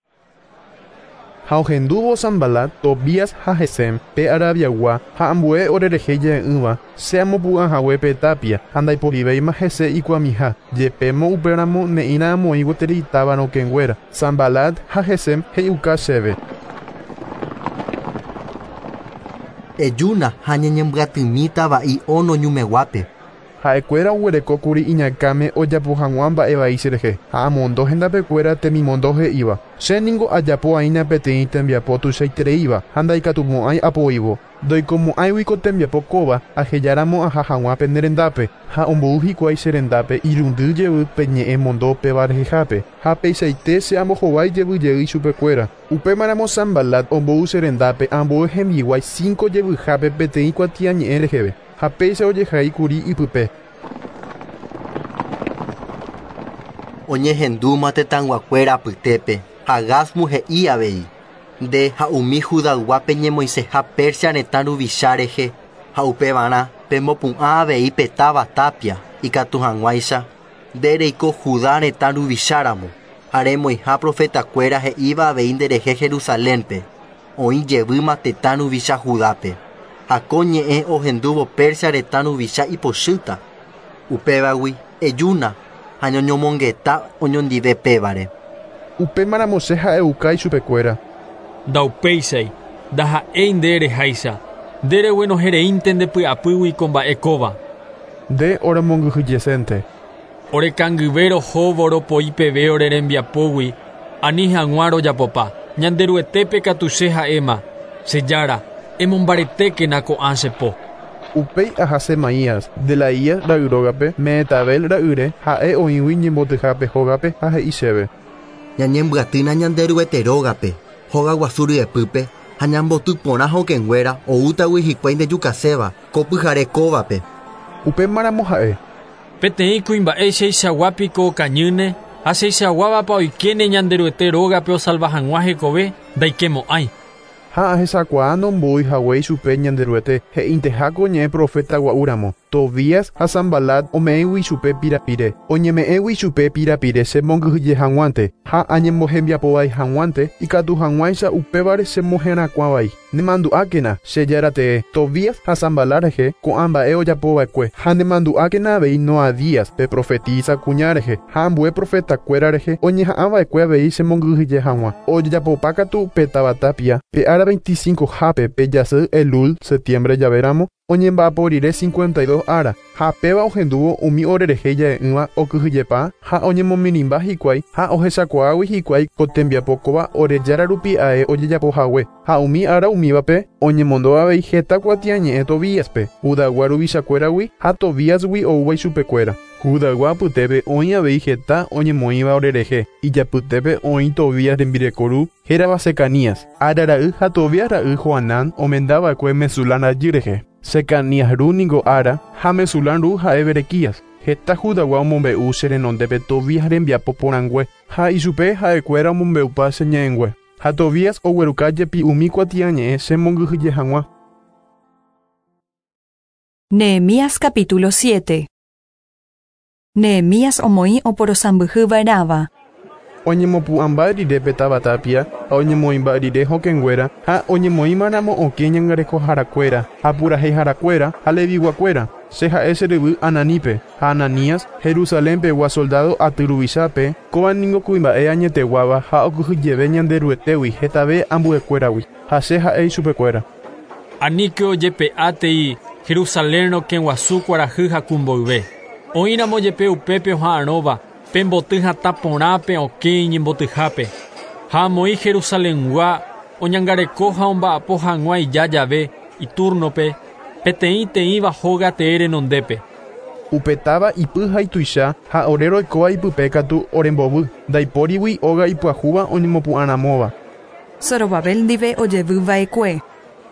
Ha ohendúvo Sanbalat, Tobías ha Gesem, pe Arabiagua ha ambue orerehe ja'e'ỹva che amopu'ãhague pe tapia ha ndaiporivéima hese ikuamiha jepémo upéramo ne'ĩra amoĩ gueteri táva rokẽnguéra. Sanbalat ha Gesem he'iuka chéve. Ejúna ha ñañembyatymíta va'i Ono ñumeguápe. Ha'ekuéra oguerekókuri iñakãme ojapo hag̃ua mba'evai cherehe ha amondo hendapekuéra temimondo he'íva. Che ningo ajapo aína peteĩ tembiapo tuichaitereíva ha ndaikatumo'ãi apoívo. Ndoikomo'ãigui ko tembiapo kóva ahejáramo aha hag̃ua pene rendápe ha ombou hikuái che rendápe irundy jevy pe ñe'ẽ mondo péva rehehápe ha peichaite che ambohovái jevy jey chupekuéra. Upémaramo Sanbalat ombou che rendápe ambue hembiguái cinco jevyhápe peteĩ kuatiañe'ẽ reheve ha péicha ojehaíkuri ipype. Oñehendúma tetãyguakuéra apytépe ha Gásmu he'i avei. Nde ha umi Judayguápe ñemoiseha Persia retã ruvicha rehe ha upevarã pemopu'ã avei pe táva tapia ikatu hag̃uáicha nde reiko Judá retã ruvicháramo ha remoĩha profetakuéra he'íva avei nderehe Jerusalénpe oĩ jevýma tetã ruvicha Judápe. Ha ko ñe'ẽ ohendúvo Persia retã ruvicha ipochýta. Upévagui ejúna ha ñoñomongeta oñondive pévare. Upémaramo che ha'euka ichupekuéra. Ndaupéichai ndaha'éi nde reháicha nde reguenohereínte ndepy'apýgui ko mba'e kóva. Nde oremongyhyjesénte. Orekangyve rohóvo ropoi peve ore rembiapógui ani hag̃ua rojapopa. Ñanderuetépe katu che ha'éma. Che jára, emombaretékena ko'ã che po. Upéi aha Semaías, Delaías ra'yrógape, Mehetabel ra'yre, ha'e oĩgui ñembotyhápe hógape ha he'i chéve. Ñañembyatýna Ñanderuete rógape, hóga guasu ryepýpe ha ñamboty porã hokẽnguéra oútagui hikuái ndejukaséva ko pyhare kóvape. Upémaramo ha'e. Peteĩ kuimba'e cheichaguápiko okañýne ha cheichaguávapa oikéne Ñanderuete rógape osalva hag̃ua hekove ndaikemo'ãi. Ha ahechakuaa nombo'y hague ichupe Ñanderuete he'inteháko ñe'ẽ profeta gua'úramo. Tobías ha Sanbalat ome'ẽgui ichupe pirapire. Oñeme'ẽgui ichupe pirapire chemongyhyje hag̃uánte ha añembohembiapovai hag̃uánte ikatu hag̃uáicha upévare chemoherakuãvai. Nemandu'ákena che járatee Tobías ha Sanbalat rehe ko'ã mba'e ojapova'ekue ha nemandu'ákena avei Noadías pe profetisa kuña rehe ha ambue profetakuéra rehe oñeha'ãva'ekue avei chemongyhyje hag̃ua. Ojejapopa katu pe táva tapia pe ára veinticinco hápe pe jasy Elul septiembre javéramo oñemba'apo rire cincuenta y dos ára ha péva ohendúvo umi orerehe ja'e'ỹva okyhyjepa ha oñemomirĩmba hikuái ha ohechakuaágui hikuái ko tembiapo kóva orejára rupi ae ojejapohague ha umi ára umívape oñemondo avei heta kuatiañe'ẽ Tobíaspe Judagua ruvichakuéragui ha Tobíasgui oúva ichupekuéra. Judagua apytépe oĩ avei heta oñemoĩva orerehe ijapytépe oĩ Tobías rembireko ru hérava Secanías. Ára ra'y ha Tobías ra'y Joanán omendava'ekue Mesulán rajy rehe. Secanías ru ningo Ara ha Mesulán ru ha'e Berequías. Heta Judagua omombe'u che renondépe Tobías rembiapo porãngue ha ichupe ha'ekuéra omombe'upa che ñe'ẽngue. Ha Tobías ogueruka jepi umi kuatiañe'ẽ chemongyhyje hag̃ua. Nehemías capítulo siete. Nehemías omoĩ oporosãmbyhyva'erãva. Oñemopu'ãmba rire pe táva tapia ha oñemoĩmba rire hokẽnguéra ha oñemoĩmaramo okẽ ñangarekoharakuéra ha puraheiharakuéra ha leviguakuéra. Che ha'e che ryvy Ananípe ha Ananías Jerusalénpegua soldado aty ruvichápe kóva ningo kuimba'e añeteguáva ha okyhyjeve Ñanderuetégui hetave ambuekuéragui ha che ha'e ichupekuéra. Aníke ojepe'átei Jerusalén rokẽguasu kuarahy hakumboyve. Oĩramo jepe upépe oha'arõva pemboty hatã porãpe okẽ iñembotyhápe. Ha amoĩ Jerusalengua oñangareko ha omba'apo hag̃ua ija jave iturnope peteĩ teĩva hóga tee renondépe. Upe táva ipy ha ituicha ha ore roikóva ipype katu orembovy ndaipórigui óga ipyahúva oñemopu'ãramóva. Zorobabel ndive ojevyva'ekue.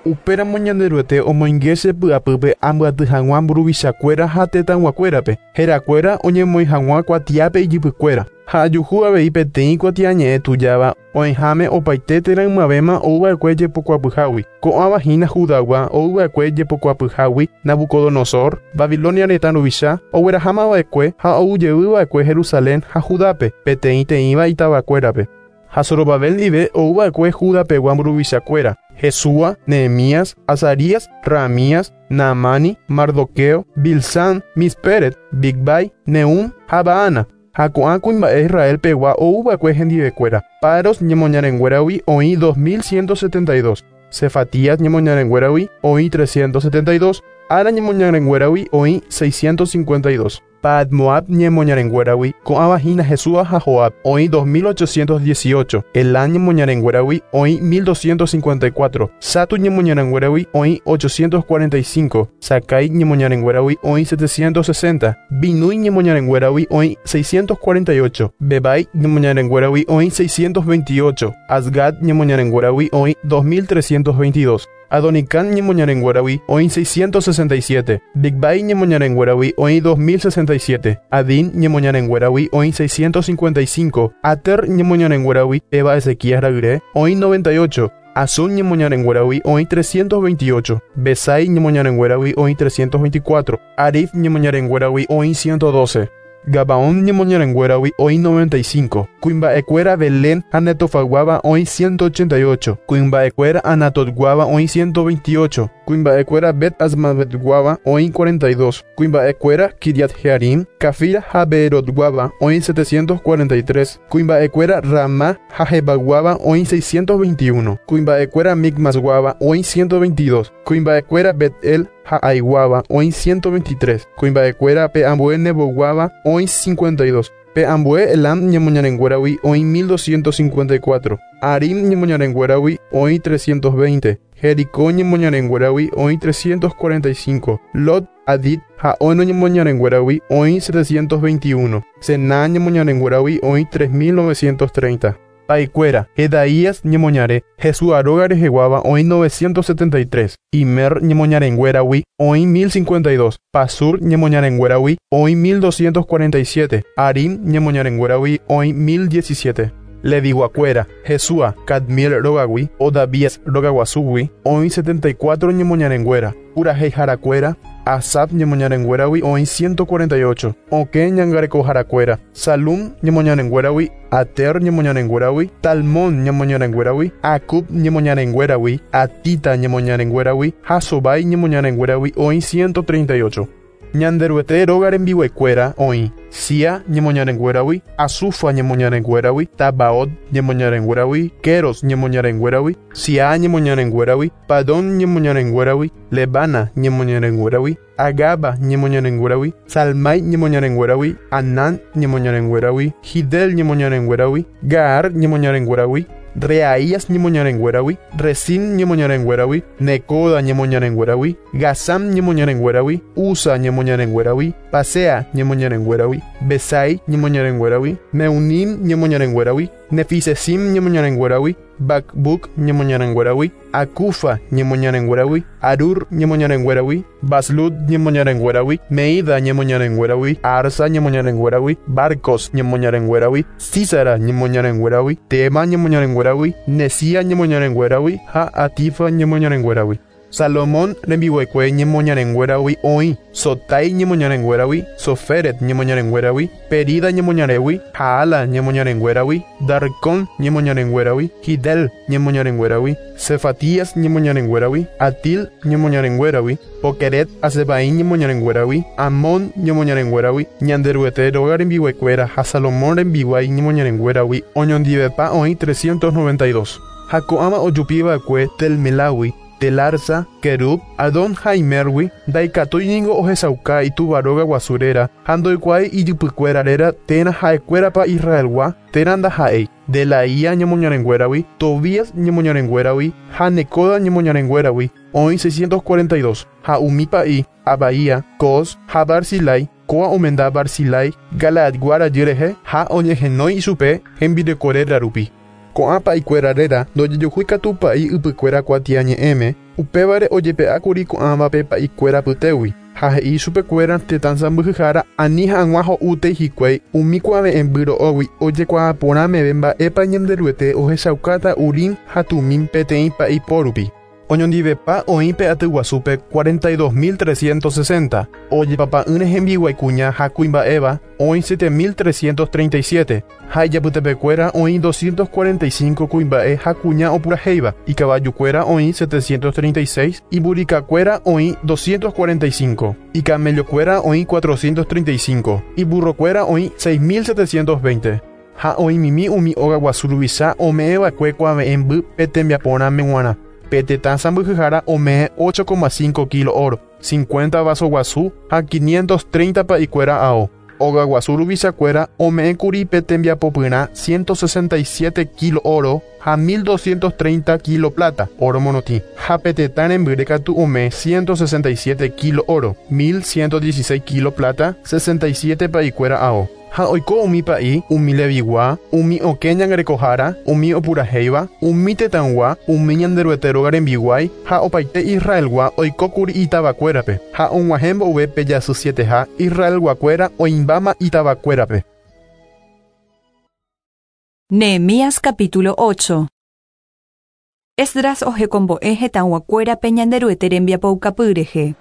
Upéramo Ñanderuete omoinge che py'apýpe ambyaty hag̃ua mburuvichakuéra ha tetãyguakuérape herakuéra oñemoĩ hag̃ua kuatiápe ijypykuéra ha ajuhu avei peteĩ kuatiañe'ẽ tujáva oĩháme opaite térã ymavéma ouva'ekue jepokuapyhágui. Ko'ãva hína Judagua ouva'ekue jepokuapyhágui Nabucodonosor, Babilonia retã ruvicha oguerahámava'ekue ha oujeyva'ekue Jerusalén ha Judápe peteĩ teĩva itavakuérape. Ha Zorobabel ndive ouva'ekue Judapegua mburuvichakuéra Jesúa, Nehemías, Azarías, Raamías, Naamani, Mardoqueo, Bilsán, Misperet, Bigbai, Nehum ha Baana. Ha ko'ã kuimba'e Israelpegua ouva'ekue hendivekuéra. Paros ñemoñarenguéragui oĩ dos mil ciento setenta y dos, Cefatías ñemoñarenguéragui oĩ trescientos setenta y dos, Ara ñemoñarenguéragui oĩ seiscientos cincuenta y dos. Pahat Moab ñemoñarenguéragui ko'ãva hína Jesúa ha Joab oĩ dos mil ochocientos dieciocho, Elán ñemoñarenguéragui oĩ mil doscientos cincuenta y cuatro, Satu ñemoñarenguéragui oĩ ochocientos cuarenta y cinco, Sakai ñemoñarenguéragui oĩ setecientos sesenta, Binui ñemoñarenguéragui oĩ seiscientos cuarenta y ocho, Bebai ñemoñarenguéragui oĩ seiscientos veintiocho, Azgad ñemoñarenguéragui oĩ dos mil trescientos veintidós. Adonicán ñemoñarenguéragui oĩ seiscientos sesenta y siete, Bigbai ñemoñarenguéragui oĩ dos mil sesenta y siete, Adín ñemoñarenguéragui oĩ seiscientos cincuenta y cinco, Ater ñemoñarenguéragui Eva Ezequías ra'yre oĩ noventa y ocho, Azun ñemoñarenguéragui oĩ trescientos veintiocho, Besai ñemoñarenguéragui oĩ trescientos veinticuatro, Arif ñemoñarenguéragui oĩ ciento doce. Gabaón ñemoñarenguéragui oĩ noventa y cinco, Kuimba'ekuéra Belén ha Netofaguáva oĩ ciento ochenta y ocho, Kuimba'ekuéra Anatotguáva oĩ ciento veintiocho, Kuimba'ekuéra Bet Azmavetguáva oĩ cuarenta y dos, Kuimba'ekuéra Kiriat Jearim, Cafira ha Beerotguáva oĩ setecientos cuarenta y tres, Kuimba'ekuéra Ramá ha Jebaguáva oĩ seiscientos veintiuno, Kuimba'ekuéra Micmasguáva oĩ ciento veintidós, Kuimba'ekuéra Bet-El ha Aiguáva oĩ ciento veintitrés, Kuimba'ekuéra pe ambue Neboguáva oĩ cincuenta y dos, pe ambue Elam ñemoñarenguéragui oĩ mil doscientos cincuenta y cuatro, Arim ñemoñarenguéragui oĩ trescientos veinte, Jericó ñemoñarenguéragui oĩ trescientos cuarenta y cinco, Lot, Adid ha Ono ñemoñarenguéragui oĩ setecientos veintiuno, Sená ñemoñarenguéragui oĩ tres mil novecientos treinta. Paikuéra, Jedaías ñemoñare, Jesúa róga reheguáva oĩ novecientos setenta y tres, Imer ñemoñarenguéragui oĩ mil cincuenta y dos, Pasur ñemoñarenguéragui oĩ mil doscientos cuarenta y siete, Arim ñemoñarenguéragui oĩ mil diecisiete. Leviguakuéra, Jesúa, Cadmiel rógagui, Odavías rogaguasúgui oĩ setenta y cuatro ñemoñarenguéra, Puraheiharakuéra, Asap ñemoñarenguéragui oĩ ciento cuarenta y ocho, Okẽ ñangarekoharakuéra, Salum ñemoñarenguéragui, Ater ñemoñarenguéragui, Talmón ñemoñarenguéragui, Acub ñemoñarenguéragui, Atita ñemoñarenguéragui, Hasobai ñemoñarenguéragui oĩ ciento treinta y ocho. Ñanderuete róga rembiuekuéra oĩ Sia ñemoñarenguéragui, Azufa ñemoñarenguéragui, Tabaot ñemoñarenguéragui, Keros ñemoñarenguéragui, Sia ñemoñarenguéragui, Padón ñemoñarenguéragui, Lebana ñemoñarenguéragui, Agaba ñemoñarenguéragui, Salmai ñemoñarenguéragui, Anán ñemoñarenguéragui, Gidel ñemoñarenguéragui, Gaar ñemoñarenguéragui, Reaías ñemoñarenguéragui, Resín ñemoñarenguéragui, Necoda ñemoñarenguéragui, Gazam ñemoñarenguéragui, Usa ñemoñarenguéragui, Pasea ñemoñarenguéragui, Besai ñemoñarenguéragui, Meunim ñemoñarenguéragui, Nefisesim ñemoñarenguéragui, Bakbuk ñemoñarenguéragui, Akufa ñemoñarenguéragui, Arur ñemoñarenguéragui, Baslut ñemoñarenguéragui, Meida ñemoñarenguéragui, Arsa ñemoñarenguéragui, Barcos ñemoñarenguéragui, Císara ñemoñarenguéragui, Tema ñemoñarenguéragui, Nesia ñemoñarenguéragui, ha Atifa ñemoñarenguéragui. Salomón rembiguaikue ñemoñarenguéragui oĩ, Sotai ñemoñarenguéragui, Soferet ñemoñarenguéragui, Perida ñemoñaregui, Jaala ñemoñarenguéragui, Darcón ñemoñarenguéragui, Hidel ñemoñarenguéragui, Cefatías ñemoñarenguéragui, Atil ñemoñarenguéragui, Pokeret Azebaín ñemoñarenguéragui, Amón ñemoñarenguéragui, Ñanderuete róga rembiguaikuéra ha Salomón rembiguái ñemoñarenguéragui, oñondivepa oĩ trescientos noventa y dos. Ha ko'ãva ojupiva'ekue Telmelagui, Telarsa, Kerub, Adón ha Imergui, ndaikatúi ningo ohechauka itúva róga guasu réra ha ndoikuaái ijypykuéra réra térã ha'ekuérapa Israelgua térã ndaha'éi. Delaía ñemoñarenguéragui, Tobías ñemoñarenguéragui ha Necoda ñemoñarenguéragui oĩ seiscientos cuarenta y dos, ha umi pa'i, Abaía, Cos ha Barzilai, kóa omenda Barzilai, Galaadgua rajy rehe ha oñehenói ichupe hembireko réra rupi. Ko'ã pa'ikuéra réra ndojejuhúi katu pa'i ypykuéra kuatiañe'ẽme, upévare ojepe'ákuri ko'ãvape pa'ikuéra pytégui, ha he'i chupekuéra tetã sãmbyhyhára ani hag̃ua ho'útei hikuái umi kuave'ẽmby ro'ógui ojekuaa porã meve mba'épa Ñanderuete ohechaukáta Urim ha Tumim peteĩ pa'i po rupi. Oñondivepa oĩ pe aty guasúpe cuarenta y dos mil trescientos sesenta, ojepapa'ỹre hembiguaikuña ha kuimba'éva oĩ siete mil trescientos treinta y siete, ha ijapytepekuéra oĩ doscientos cuarenta y cinco kuimba'e ha kuña opurahéiva, ikavajukuéra oĩ setecientos treinta y seis, iburikakuéra oĩ doscientos cuarenta y cinco, ikamellokuéra oĩ cuatrocientos treinta y cinco, iburrokuéra oĩ seis mil setecientos veinte. Ha oĩmimi umi óga guasu ruvicha ome'ẽva'ekue kuave'ẽmby pe tembiaporãme g̃uarã. Pe tetã sãmbyhyhára ome'ẽ ocho coma cinco kilo oro, cincuenta vaso guasu ha quinientos treinta pa'ikuéra ao. Óga guasu ruvichakuéra ome'ẽkuri pe tembiapopyrã ciento sesenta y siete kilo oro ha mil doscientos treinta kilo plata, oro morotĩ. Ha pe tetã rembyre katu ome'ẽ ciento sesenta y siete kilo oro, mil ciento dieciséis kilo plata, sesenta y siete pa'ikuéra ao. Ha oiko umi pa'i, umi levigua, umi okẽ ñangarekohára, umi opurahéiva, umi tetãgua, umi Ñanderuete róga rembiguái ha opaite Israelgua oikókuri itavakuérape, ha og̃uahẽ mboyve pe jasy sieteha Israelguakuéra oĩmbáma itavakuérape. Nehemías capítulo ocho. Esdras ohekombo'e hetãguakuérape Ñanderuete rembiapoukapy rehe.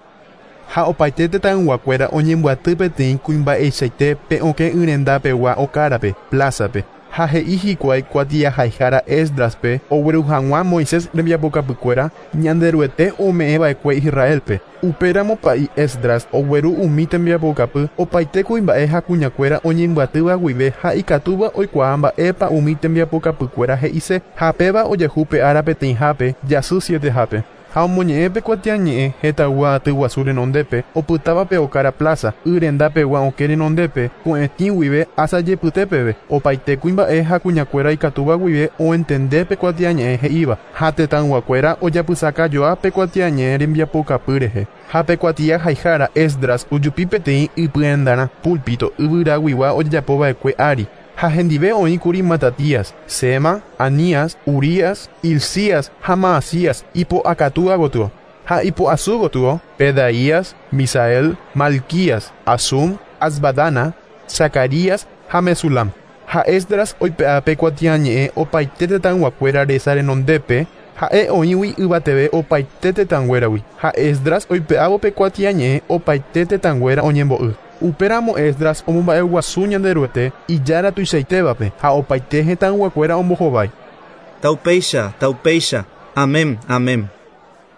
Ha opaite tetãyguakuéra oñembyaty peteĩ kuimba'eichaite pe okẽ yrendapegua okárape, plázape. Ha he'i hikuái kuatiahaihára Esdraspe ogueru hag̃ua Moisés rembiapokapykuéra Ñanderuete ome'ẽva'ekue Israelpe. Upéramo pa'i Esdras ogueru umi tembiapokapy opaite kuimba'e ha kuñakuéra oñembyatýva guive ha ikatúva oikuaa mba'épa umi tembiapokapykuéra he'ise ha péva ojehu pe ára peteĩhápe jasy sietehápe. Ha omoñe'ẽ pe kuatiañe'ẽ hetagua aty guasu renondépe opytáva pe okára plaza yrendapegua okẽ renondépe ko'ẽtĩ guive asajepytépeve opaite kuimba'e ha kuñakuéra ikatúva guive oentende pe kuatiañe'ẽ he'íva ha tetãyguakuéra ojapysakajoa pe kuatiañe'ẽ rembiapokapy rehe. Ha pe kuatiahaihára Esdras ojupi peteĩ ypyendarã púlpito yvyraguigua ojejapova'ekue ári. Ha hendive oĩkuri Matatías, Sema, Anías, Urías, Hilcías ha Maasías ipo'akatúa gotyo. Ha ipo'asu gotyo, Pedaías, Misael, Malquías, Asum, Asbadana, Zacarías ha Mesulam. Ha Esdras oipe'a pe kuatiañe'ẽ opaite tetãyguakuéra resa renondépe, ha'e oĩgui yvateve opaite tetãnguéragui. Ha Esdras oipe'ávo pe kuatiañe'ẽ opaite tetãnguéra oñembo'y. Upéramo Esdras omomba'eguasu Ñanderuete ijára tuichaitévape ha opaite hetãyguakuéra ombohovái. Taupéicha, taupéicha, amén, amén.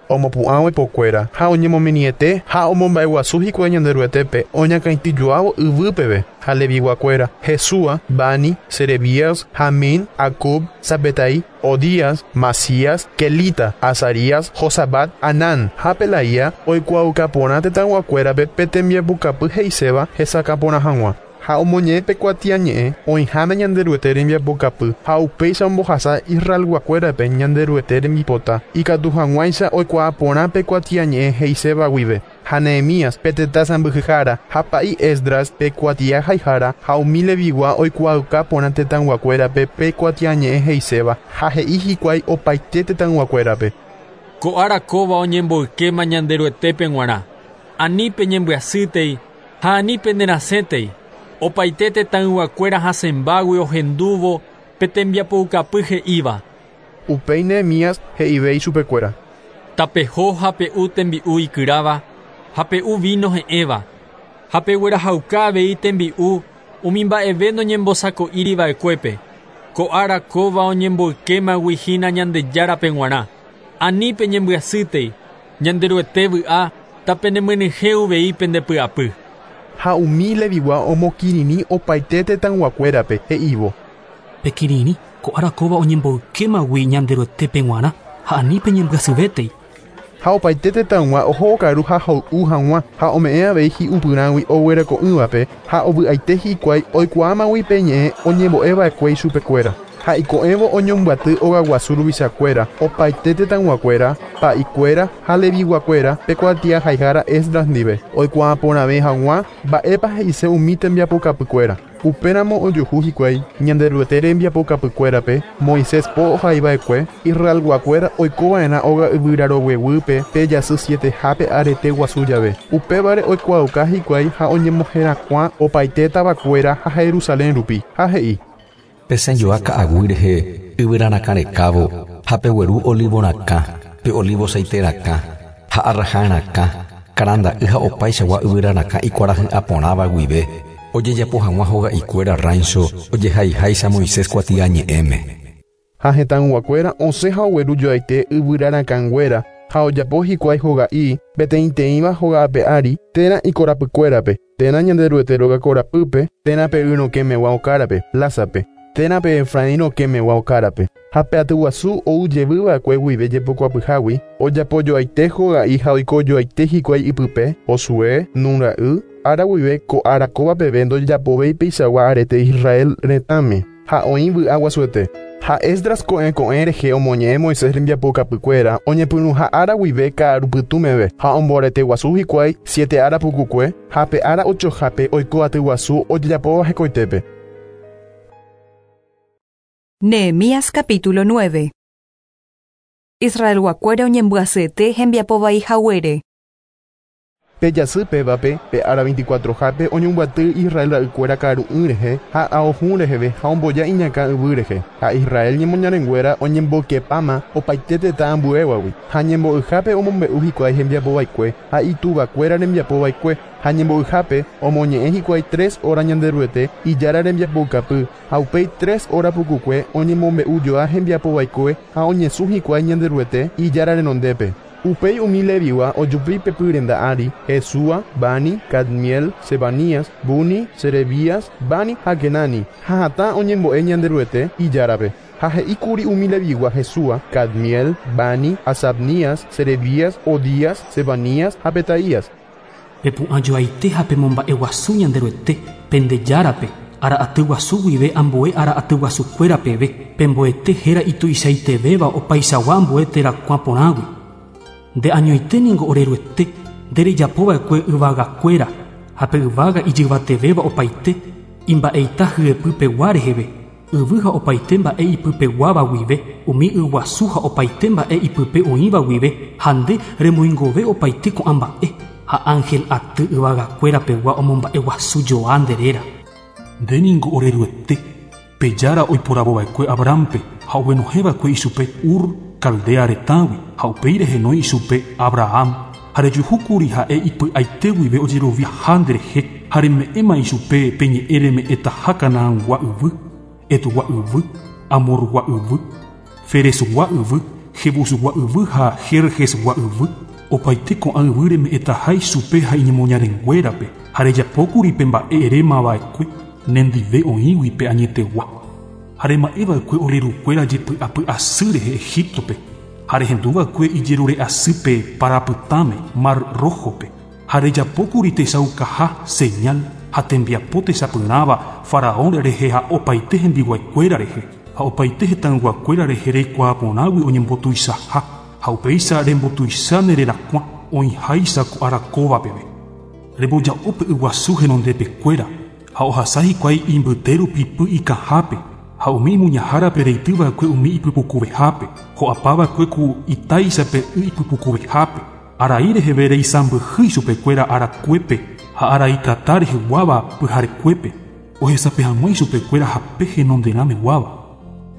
Omopu'ãvo ipokuéra ha oñemominiete ha omomba'eguasu hikuái Ñanderuetépe oñakãityjoávo yvýpeve ha leviguakuéra Jesúa, Bani, Serebías, Jamín, Acub, Sabetai, Odías, Masías, Kelita, Azarías, Josabat, Anán ha Pelaía oikuaauka porã tetãyguakuérape pe tembiapokapy he'iséva hesakã porã hag̃ua. Ha omoñe'ẽ pe kuatiañe'ẽ oĩháme Ñanderuete rembiapokapy ha upéicha ombohasa Israelguakuérape Ñanderuete rembipota ikatu hag̃uáicha oikuaa porã pe kuatiañe'ẽ he'iséva guive. Ha Nehemías pe tetã sãmbyhyhára ha pa'i Esdras pe kuatiahaihara ha umi Levigua oikuaauka porã tetãyguakuérape pe kuatiañe'ẽ he'iséva ha he'i hikuái opaite tetãyguakuérape. Ko ára kóva oñemboykéma Ñanderuetépe g̃uarã. Ani peñembyasýtei ha ani penerasẽtei. Opaite tetãyguakuéra hasẽmbágui ohendúvo pe tembiapoukapy he'íva. Upéi Nehemías he'ive ichupekuéra. Tapeho ha pe'u tembi'u ikyráva ha pe'u vino he'ẽva ha peguerahauka avei tembi'u umi mba'eve noñembosako'íriva'ekuépe. Ko ára kóva oñemboykémagui hína Ñandejárape g̃uarã. Ani peñembyasýtei, Ñanderuete vy'a tapenemyenyhẽ uvei pendepy'apy. Ha umi Levigua omokirirĩ opaite tetãyguakuérape he'ívo. Pekirirĩ ko ára kóva oñemboykémagui Ñanderuetépe g̃uarã ha ani peñembyasyvétei. Ha opaite tetãygua oho okaru ha hoy'u hag̃ua ha ome'ẽ avei hi'upyrãgui oguereko'ỹvape ha ovy'aite hikuái oikuaámagui pe ñe'ẽ oñembo'eva'ekue ichupekuéra. Ha iko'ẽvo oñombyaty ogaguasu ruvichakuéra opaite tetãyguakuéra, pa'ikuéra ha leviguakuéra pe kuatiahaihára Esdras ndive oikuaaporãve hag̃ua mba'épa he'ise umi tembiapokapykuéra. Upéramo ojuhu hikuái Ñanderuete rembiapokapykuérape Moisés po ohaiva'ekue Israelguakuéra oikova'erã óga yvyrarogueguýpe pe jasy sietehápe arete guasu jave. Upévare oikuaauka hikuái ha oñemoherakuã opaite tavakuéra ha Jerusalén rupi ha he'i. Pesẽjoa ka'aguy rehe yvyrarakã rekávo ha pegueru olivorakã, pe olivo saiterakã ha arrajarakã, karanda'y ha opaichagua yvyrarakã ikuarahy'ãporãva guive ojejapo hag̃ua hoga'ikuéra rancho ojehaiháicha Moisés kuatiañe'ẽme. Ha hetãyguakuéra osẽ ha ogueru joaite yvyrarakãnguéra ha ojapo hikuái hoga'i peteĩteĩva hoga'ape ári térã ikorapykuérape, térã Ñanderuete róga korapýpe, térã pe yrokẽmegua okárape, plázape, térã pe Efraín rokẽmegua okárape. Ha pe atyguasu ou jevyva'ekue guive jepokuapyhágui ojapo joaite hoga'i ha oiko joaite hikuái ipype, Josué, Nun ra'y, ára guive ko ára kóva peve ndojapovéi peichagua arete Israel retãme ha oĩ vy'a guasuete. Ha Esdras ko'ẽ ko'ẽ rehe omoñe'ẽ Moisés rembiapokapykuéra oñepyrũha ára guive ka'arupytũmeve ha omboarete guasu hikuái siete ára pukukue ha pe ára ochohápe oiko atyguasu ojejapóva hekoitépe. Nehemías capítulo nueve. Israelguakuéra oñembyasýete hembiapovai haguére. Pe jasy pévape pe ára veinticuatrohápe oñombyaty Israel ra'ykuéra ka'aru'ỹ rehe ha ahohũ reheve ha omboja iñakã yvy rehe. Ha Israel ñemoñarenguéra oñembokepáma opaite tetã ambuévagui ha ñembo'yhápe omombe'u hikuái hembiapovaikue ha ituvakuéra rembiapovaikue ha ñembo'yhápe omoñe'ẽ hikuái tres hora Ñanderuete ijára rembiapoukapy ha upéi tres hora pukukue oñemombe'ujoa hembiapovaikue ha oñesũ hikuái Ñanderuete ijára renondépe. Upéi umi Levigua ojupi pepy renda ári Jesúa, Bani, Cadmiel, Sebanías, Buni, Serebías, Bani ha Kenani ha hatã oñembo'e Ñanderuete ijárape. Ha he'íkuri umi Levigua Jesúa, Cadmiel, Bani, Asabnías, Serebías, Odías, Sebanías ha Petaías. Pepu'ãjoaite ha pemomba'eguasu Ñanderuete pendejárape ára aty guasu guive ambue ára aty guasukuéra peve pemboete héra ituichaitevéva opaichagua ambue terakuã porãgui. Nde añoite ningo oreruete nderejapova'ekue yvagakuéra ha pe yvága ijyvatevéva opaite imba'eita hyepypegua reheve yvy ha opaite mba'e ipypeguáva guive umi yguasu ha opaite mba'e ipype oĩva guive ha nde remoingove opaite ko'ã mba'e ha ángel aty yvagakuérapegua omomba'eguasu joa nde réra. Nde ningo oreruete pe jára oiporavova'ekue Abrahampe ha oguenohẽva'ekue ichupe Ur Caldea retãgui ha upéi rehenói ichupe Abraham ha rejuhúkuri ha'e ipy'aite guive ojeroviaha nderehe ha reme'ẽma ichupe pe ñe'ẽ reme'ẽtaha Canaangua yvy, Etugua yvy, Amorgua yvy, Ferezgua yvy, Jebusgua yvy ha Jerjesgua yvy. Opaite ko'ã yvy reme'ẽtaha ichupe ha iñemoñarenguérape ha rejapókuri pe mba'e erémava'ekue nendive oĩgui pe añetegua. Ha rema'ẽva'ekue orerukuéra jepy'apy'asy rehe Egiptope ha rehenduva'ekue ijerure'asýpe parapytãme Mar Rojope ha rejapókuri techaukaha señal ha tembiapo techapyrãva Faraón rehe ha opaite hembiguaikuéra rehe ha opaite hetãyguakuéra rehe reikuaaporãgui oñembotuichaha ha upéicha rembotuicha ne rerakuã oĩháicha ko ára kóva peve. Remboja'o pe yguasu henondepekuéra ha ohasa hikuái imbyte rupi py ikahápe ha umi imuñahárape reityva'ekue umi ipypukuvehápe ho'apava'ekue ku itáichape y ipypukuvehápe. Arai reheve reisãmbyhy ichupekuéra arakuépe ha arai tata reheguáva pyharekuépe ohesape hag̃ua ichupekuéra hape henonderãmeguáva.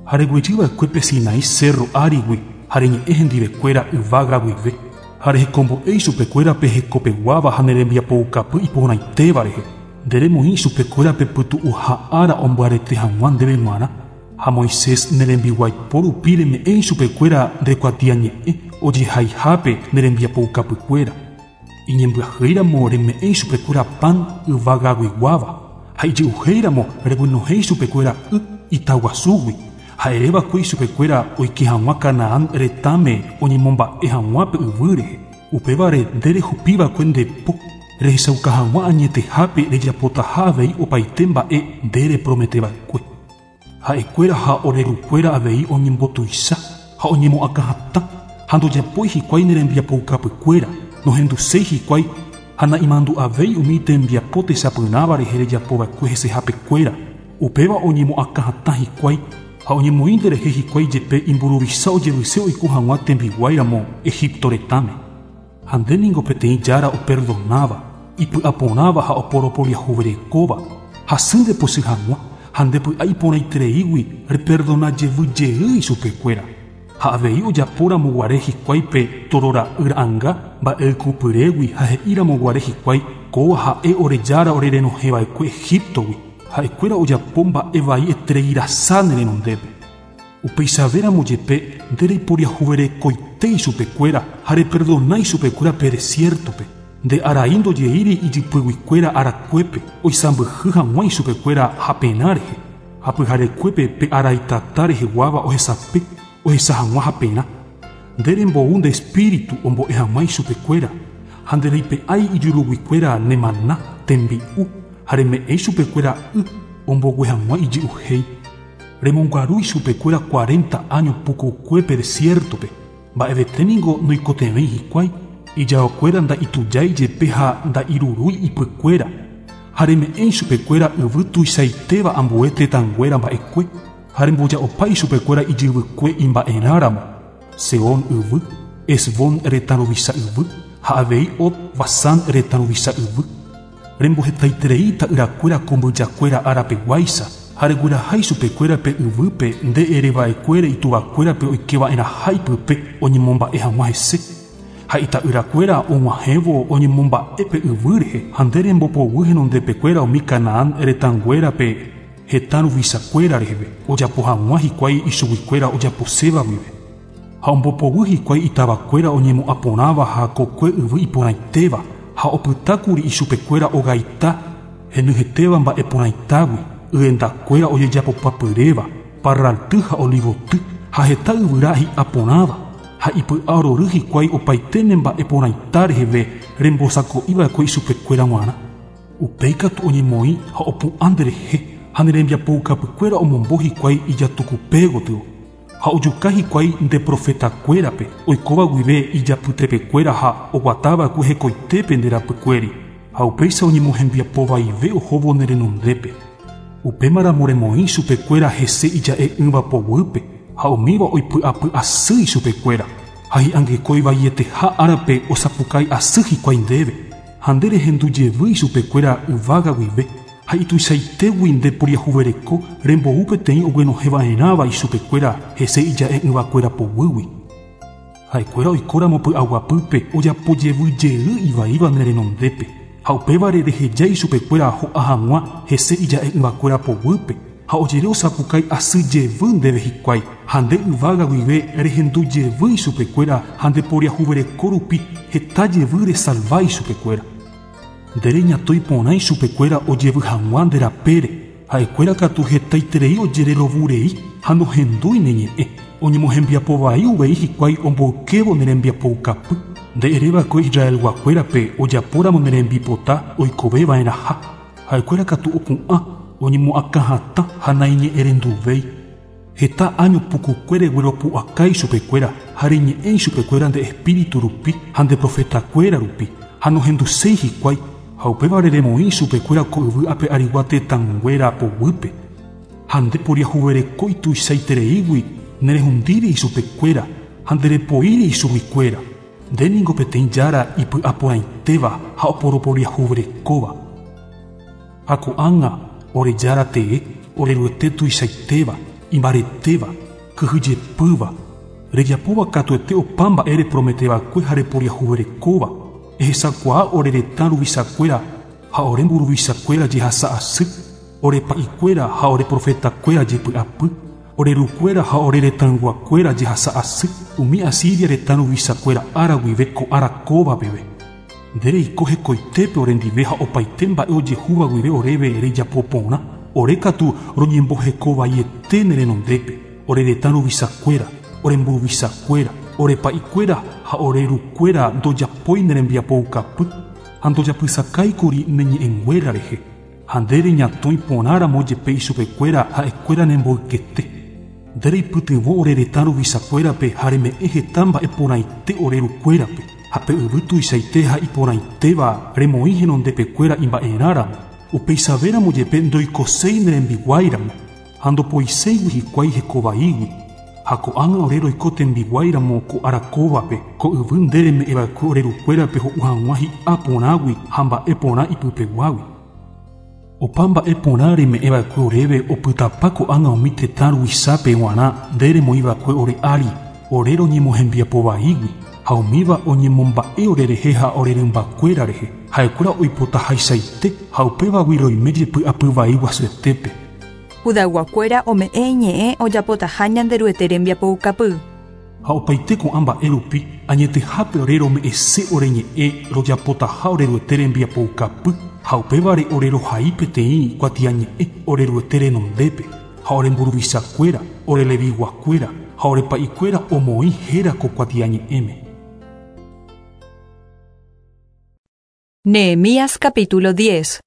Ha reguejyva'ekue pe Sinaí cerro árigui ha reñe'ẽ hendivekuéra yvága guive ha rehekombo'e ichupekuéra pe hekopeguáva ha nerembiapoukapy iporãitéva rehe. Nde remoĩ ichupekuéra pe pytu'uha ára ombyarete hag̃ua ndéve g̃uarã ha Moisés nerembiguaipo rupi reme'ẽ ichupekuéra ndekuatiañe'ẽ ojehaihápe nerembiapoukapykuéra. Iñembyahýiramo reme'ẽ ichupekuéra pan yvagaguiguáva ha ijy'uhéiramo reguenohẽ ichupekuéra y itaguasúgui ha ereva'ekue ichupekuéra oike hag̃ua Canaán retãme oñemomba'e hag̃ua pe yvy rehe. Upévare nde rehupiva'ekue nde po rehechauka hag̃ua añetehápe rejapotaha avei opaite mba'e nde reprometeva'ekue. Ha'ekuéra ha orerukuéra avei oñembotuicha ha oñemo'akãhatã ha ndojapói hikuái nerembiapoukapykuéra nohenduséi hikuái ha naimandu'avéi umi tembiapo techapyrãva rehe rejapova'ekue hesehapekuéra. Upéva oñemo'akãhatã hikuái ha oñemoĩ nderehe hikuái jepe imburuvicha ojevyse oiko hag̃ua tembiguáiramo Egipto retãme. Ha nde ningo peteĩ jára operdonáva, ipy'aporãva ha oporoporiahuverekóva hasy ndepochy hag̃ua ha ndepy'a iporãitereígui reperdona jevy jey ichupekuéra. Ha avei ojapóramo guare hikuái pe torora'y ra'ãnga mba'eykupyrégui ha he'íramo guare hikuái kóva ha'e ore jára orerenohẽva'ekue Egiptogui. Ha'ekuéra ojapo mba'e vai etereirasa ne renondépe. Upeichavéramo jepe nde reiporiahuverekoite ichupekuéra ha reperdona ichupekuéra pe desiertope. Nde arai ndojeíri ijypyguikuéra arakuépe oisãmbyhy hag̃ua ichupekuéra haperã rehe. Ha pyharekuépe pe arai tata reheguáva ohesape ohecha hag̃ua haperã. Nde rembou nde espíritu ombo'e hag̃ua ichupekuéra ha nde reipe'ái ijuruguikuéra nemana tembi'u ha reme'ẽ ichupekuéra y ombogue hag̃ua ijy'uhéi. Remongaru ichupekuéra cuarenta año pukukue pe desiertope. Mba'evete ningo noikotevẽi hikuái ijaokuéra nda'itujái jepe ha nda'irurúi ipykuéra. Ha reme'ẽ ichupekuéra yvy tuichaitéva ambue tetãnguéra mba'ekue ha remboja'opa ichupekuéra ijyvykue imba'erãramo. Seón yvy, Esbón retã ruvicha yvy ha avei Og Basán retã ruvicha yvy. Rembohetaiterei ta'yrakuéra ko mbyjakuéra árapeguáicha ha regueraha ichupekuéra pe yvýpe nde ereva'ekuére ituvakuérape oikeva'erãha ipype oñemomba'e hag̃ua hese. Ha ita'yrakuéra og̃uahẽvo oñemomba'e pe yvy rehe ha nde rembopoguy henondepekuéra umi Canaán retãnguérape hetã ruvichakuéra reheve ojapo hag̃ua hikuái ichuguikuéra ojaposéva guive. Ha ombopoguy hikuái itavakuéra oñemo'ãporãva ha kokue yvy iporãitéva ha opytákuri ichupekuéra ogaita henyhẽtéva mba'eporãitágui yendakuéra ojejapopapyréva parralty ha olivoty ha heta yvyra hi'aporãva ha ipy'a rory hikuái opaite ne mba'eporãita reheve rembosako'iva'ekue ichupekuéra g̃uarã. Upéi katu oñemoĩ ha opu'ã nderehe ha nerembiapoukapykuéra omombo hikuái ijatukupe gotyo. Ha ojuka hikuái nde profetakuérape oikóva guive ijapytepekuéra ha oguatava'ekue hekoitépe nde rapykuéri. Ha upéicha oñemohembiapovaive ohóvo ne renondépe. Upémaramo remoĩ ichupekuéra hese ija'e'ỹva poguýpe ha umíva oipy'apy'asy ichupekuéra. Ha hi'angekói vaieteha árape osapukái asy hikuái ndéve. Ha nde rehendu jevy ichupekuéra yvága guive ha ituichaitégui nde poriahuvereko rembou peteĩ oguenohẽva'erãva ichupekuéra hese ija'e'ỹvakuéra poguýgui. Ha'ekuéra oikóramo py'aguapýpe ojapo jevy jey ivaíva ne renondépe ha upévare reheja ichupekuéra ho'a hag̃ua hese ija'e'ỹvakuéra poguýpe ha ojere osapukái asy jevy ndéve hikuái ha nde yvága guive rehendu jevy ichupekuéra ha nde poriahuvereko rupi heta jevy resalva ichupekuéra. Nde reñatõi porã ichupekuéra ojevy hag̃ua nde rapére ha'ekuéra katu hetaiterei ojererovurei ha nohendúi ne ñe'ẽ. Oñemohembiapovai uvei hikuái omboykévo ne rembiapoukapy. Nde ereva'ekue Israelguakuérape ojapóramo ne rembipota oikoveva'erãha. Ha'ekuéra katu opu'ã oñemo'akãhatã ha naiñe'ẽrenduvéi. Heta año pukukue regueropu'aka ichupekuéra ha reñe'ẽ ichupekuéra nde espíritu rupi ha nde profetakuéra rupi ha nohenduséi hikuái ha upévare remoĩ ichupekuéra ko yvy ape arigua tetãnguéra poguýpe ha nde poriahuvereko ituichaitereígui nerehundíri ichupekuéra ha nderepoíri ichuguikuéra. Nde ningo peteĩ jára ipy'aporãitéva ha oporoporiahuverekóva. Ha ko'ág̃a ore jára tee oreruete tuichaitéva imbaretéva kyhyjepýva rejapóva katuete opa mba'e reprometeva'ekue ha reporiahuverekóva ehechakuaa ore retã ruvichakuéra ha ore mburuvichakuéra jehasa asy ore pa'ikuéra ha ore profetakuéra jepy'apy ore rukuéra ha ore retãyguakuéra jehasa asy umi Asiria retã ruvichakuéra ára guive ko ára kóva peve. Nde reiko hekoitépe orendive ha opaite mba'e ojehúva guive oréve rejapo porã ore katu roñembohekovaiete ne renondépe ore retã ruvichakuéra ore mburuvichakuéra ore pa'ikuéra ha ore rukuéra ndojapói ne rembiapoukapy ha ndojapysakáikuri ne ñe'ẽnguéra rehe ha nde reñatõi porãramo jepe ichupekuéra ha'ekuéra nemboykete. Nde reipytyvõ ore retã ruvichakuérape ha reme'ẽ heta mba'e porãite ore rukuérape ha pe yvy tuichaite ha iporãitéva remoĩ henondepekuéra imba'erãramo upeichavéramo jepe ndoikoséi ne rembiguáiramo ha ndopoiséigui hikuái hekovaígui ha ko'ág̃a ore roiko tembiguáiramo ko ára kóvape ko yvy nde reme'ẽva'ekue ore rukuérape ho'u hag̃ua hi'a porãgui ha mba'e porã ipypeguágui. Opa mba'e porã reme'ẽva'ekue oréve opytapa ko'ág̃a umi tetã ruvichápe g̃uarã nde remoĩva'ekue ore ári ore roñemohembiapovaígui ha umíva oñemomba'e orerehe ha ore rymbakuéra rehe ha'ekuéra oipotahaichaite ha upévagui roime jepy'apyvai guasuetépe. Judayguakuéra ome'ẽ iñe'ẽ ojapotaha Ñanderuete rembiapoukapy. Ha opaite ko'ã mba'e rupi añetehápe ore rome'ẽse ore ñe'ẽ rojapotaha oreruete rembiapoukapy ha upévare ore rohai peteĩ kuatiañe'ẽ oreruete renondépe ha ore mburuvichakuéra ore leviguakuéra ha ore pa'ikuéra omoĩ héra ko kuatiañe'ẽme. Nehemías capítulo diez.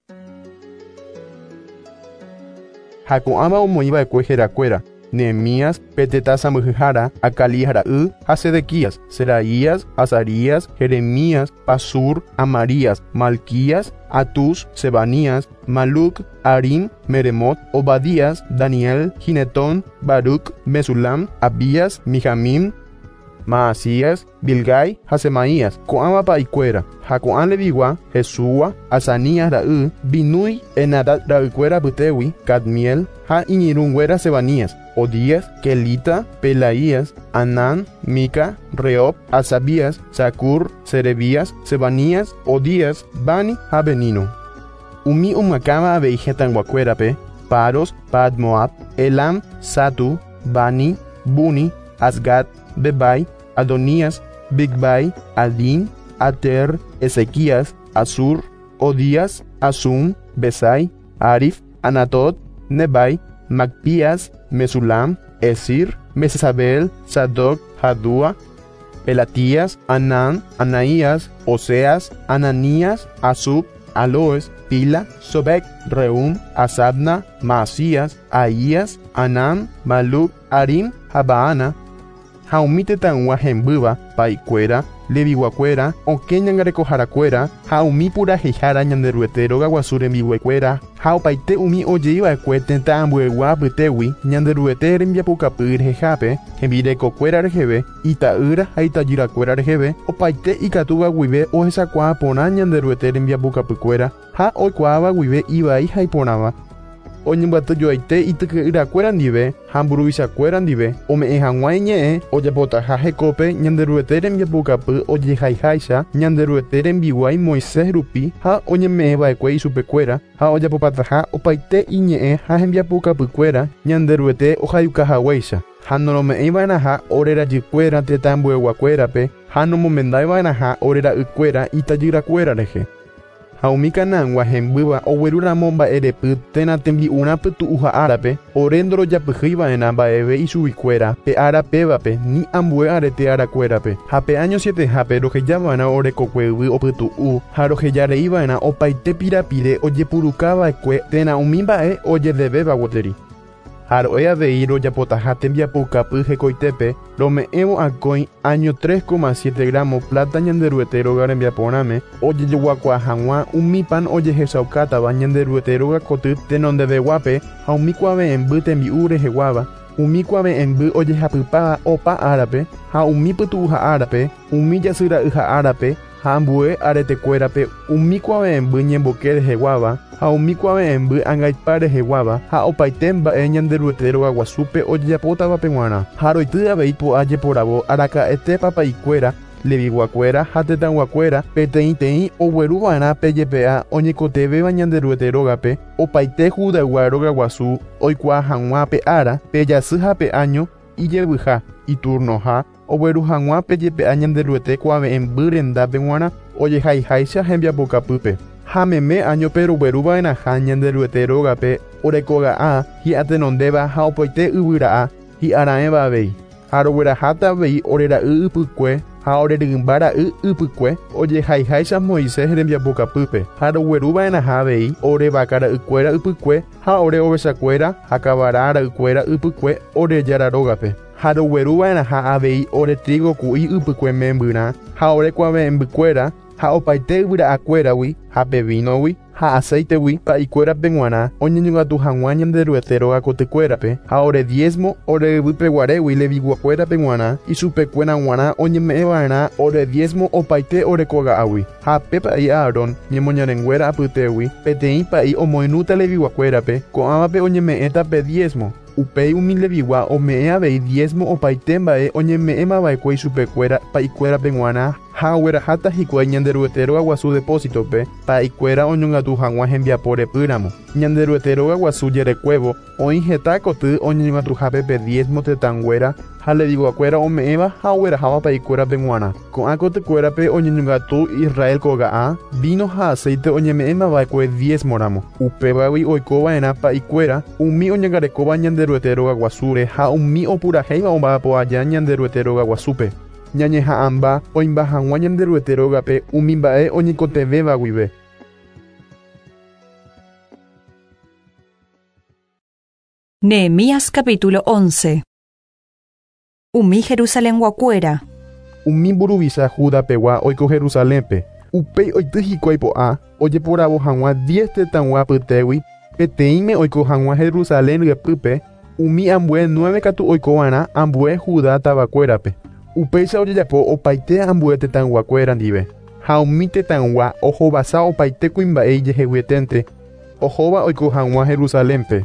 Ha ko'ãva omoĩva'ekue herakuéra Nehemías, peteta sãmbyhyhára, Acalías ra'y ha Sedequías, Seraías, Azarías, Jeremías, Pasur, Amarías, Malquías, Atus, Sebanías, Maluc, Arim, Meremot, Obadías, Daniel, Ginetón, Baruc, Mesulam, Abías, Mijamín, Maasías, Bilgai ha Semaías, ko'ãva pa'ikuéra, ha ko'ã Levigua, Jesúa, Azanías ra'y, Binui, Enadad ra'ykuéra apytégui, Cadmiel ha iñirũnguéra Sebanías, Odías, Kelita, Pelaías, Anán, Mica, Rehob, Asabías, Zacur, Serebías, Sebanías, Odías, Bani ha Benino. Umi omyakãva avei hetãyguakuérape, Paros, Padmoab, Elam, Satu, Bani, Buni, Asgad, Bebai, Adonías, Bigbai, Adín, Ater, Ezequías, Asur, Odías, Asum, Besai, Arif, Anatot, Nebai, Macpías, Mesulam, Esir, Mesesabel, Sadoc, Jadúa, Pelatías, Anán, Anaías, Oseas, Ananías, Asub, Aloes, Pila, Sobek, Reum, Asabna, Maasías, Ahías, Anán, Maluc, Arim, Habaana, ha umi tetãygua hembýva, pa'ikuéra, leviguakuéra, okẽ ñangarekoharakuéra ha umi purahéihára Ñanderuete rogaguasu rembiguaikuéra ha opaite umi ojeiva'ekue tetã ambuegua apytégui Ñanderuete rembiapokapy rehehápe, hembirekokuéra reheve, ita'ýra ha itajyrakuéra reheve, opaite ikatúva guive ohechakuaa porã Ñanderuete rembiapokapykuéra ha oikuaáva guive ivai ha iporãva. Oñembyatyjoaite ityke'yrakuéra ndive ha mburuvichakuéra ndive ome'ẽ hag̃ua iñe'ẽ ojapotaha hekópe Ñanderuete rembiapokapy ojehaiháicha Ñanderuete rembiguái Moisés rupi ha oñeme'ẽva'ekue ichupekuéra ha ojapopataha opaite iñe'ẽ ha hembiapokapykuéra Ñanderuete ohayukahaguéicha ha norome'ẽiva'erãha ore rajykuéra tetã ambueguakuérape ha nomomendaiva'erãha ore ra'ykuéra itajyrakuéra rehe. Ha umi Canaangua hembýva oguerúramo mba'erepy térã tembi'urã pytu'uha árape ore ndorojapyhýiva'erã mba'eve ichuguikuéra pe ára pévape ni ambue arete arakuérape ha pe año sietehápe rohejava'erã orekokue yvy opytu'u ha rohejareiva'erã opaite pirapire ojepurukava'ekue térã umi mba'e ojedevéva gueteri. Ha ro'e avei rojapotaha tembiapoukapy hekoitépe rome'ẽvo akói año tres coma siete gramo plata Ñanderuete róga rembiaporãme ojejoguakuaa hag̃ua umi pan ojehechaukátava Ñanderuete róga koty tenondeveguápe ha umi kuave'ẽmby tembi'u reheguáva, umi kuave'ẽmby ojehapypáva opa árape ha umi pytu'uha árape, umi jasyra'yha árape ha ambue aretekuérape, umi kuave'ẽmby ñemboke reheguáva ha umi kuave'ẽmby angaipa reheguáva ha opaite mba'e Ñanderuete rogaguasúpe ojejapótavape g̃uarã. Ha roity avei po'a jeporavo araka'ete papaikuéra, leviguakuéra ha tetãguakuéra peteĩteĩ ogueruva'erã pe jepe'a oñekotevẽva Ñanderuete rógape opaite Judaygua rogaguasu oikuaa hag̃ua pe ára, pe jasy ha pe año ijevyha, iturnoha ogueru hag̃ua pe jepe'a Ñanderuete kuave'ẽmby rendápe g̃uarã ojehaiháicha hembiapokapýpe. Ha meme añope rogueruva'erãha Ñanderuete rógape orekoga'a hi'atenondéva ha opaite yvyra'a hi'ara'ẽva avei. Ha rogueraháta avei ore ra'y ypykue ha orerymba ra'y ypykue ojehaiháicha Moisés rembiapokapýpe. Ha rogueruva'erãha avei ore vaka ra'ykuéra ypykue ha ore ovechakuéra ha kavara ra'ykuéra ypykue ore jára rógape. Ha rogueruva'erãha avei ore trigo ku'i ypykue membyrã ha ore kuave'ẽmbykuéra ha opaite yvyra'akuéragui ha pe vínogui ha aceitegui pa'ikuérape g̃uarã oñeñongatu hag̃ua Ñanderuete róga kotykuérape ha ore diezmo ore yvypeguarégui leviguakuérape g̃uarã ichupekuéra g̃uarã oñeme'ẽva'erã ore diezmo opaite ore koga'águi. Ha pe pa'i Aarón ñemoñarenguéra apytégui peteĩ pa'i omoirũta leviguakuérape ko'ãvape oñeme'ẽta pe diezmo. Upéi umi levigua ome'ẽ avei diezmo opaite mba'e oñeme'ẽmava'ekue ichupekuéra pa'ikuérape g̃uarã ha ogueraháta hikuái Ñanderuete rogaguasu depósitope pa'ikuéra oñongatu hag̃ua hembiapo repýramo. Ñanderuete rogaguasu jerekuévo oĩ heta koty oñeñongatuhápe pe diezmo tetãnguéra ha leviguakuéra ome'ẽva ha ogueraháva pa'ikuérape g̃uarã. Ko'ã kotykuérape oñeñongatu Israel koga'a, vino ha aceite oñeme'ẽmava'ekue diezmoramo. Upévagui oikova'erã pa'ikuéra umi oñangarekóva Ñanderuete rogaguasúre ha umi opurahéiva omba'apo aja Ñanderuete rogaguasúpe. Ñañeha'ãmba oimba hag̃ua Ñanderuete rógape umi mba'e oñekotevẽva guive. Nehemías capítulo once. Umi Jerusalenguakuéra. Umi mburuvicha Judapegua oiko Jerusalénpe. Upéi oity hikuái po'a ojeporavo hag̃ua diez tetãgua apytégui peteĩme oiko hag̃ua Jerusalén ryepýpe, umi ambue nueve katu oikova'erã ambue Judá tavakuérape. Upéicha ojejapo opaite ambue tetãyguakuéra ndive. Ha umi tetãygua ohovasa opaite kuimba'e ijeheguieténte ohóva oiko hag̃ua Jerusalénpe.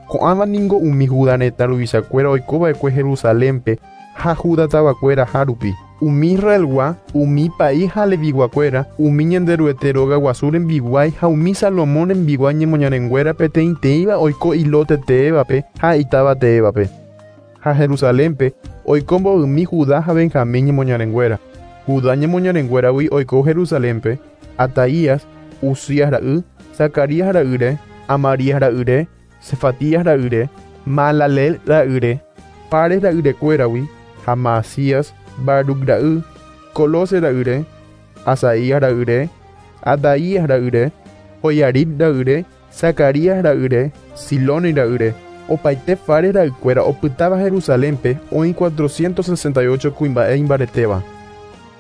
Ko'ãva ningo umi Judá retã ruvichakuéra oikova'ekue Jerusalénpe ha Judá tavakuéra hárupi. Umi Israelgua, umi pa'i ha leviguakuéra, umi Ñanderuete rogaguasu rembiguái ha umi Salomón rembiguái ñemoñarenguéra peteĩteĩva oiko ilote teévape ha itáva teévape. Ha Jerusalénpe oiko mbovymi Judá ha Benjamín ñemoñarenguéra. Judá ñemoñarenguéragui oiko Jerusalénpe, Ataías, Uzías ra'y, Zacarías ra'yre, Amarías ra'yre, Cefatías ra'yre, Malalel ra'yre, Pares ra'yrekuéragui, ha Maasías, Baruc ra'y, Colose ra'yre, Asaías ra'yre, Adaías ra'yre, Joiarib ra'yre, Zacarías ra'yre, Siloni ra'yre. Opaite Fares ra'ykuéra opytáva Jerusalénpe oĩ cuatrocientos sesenta y ocho kuimba'e imbaretéva.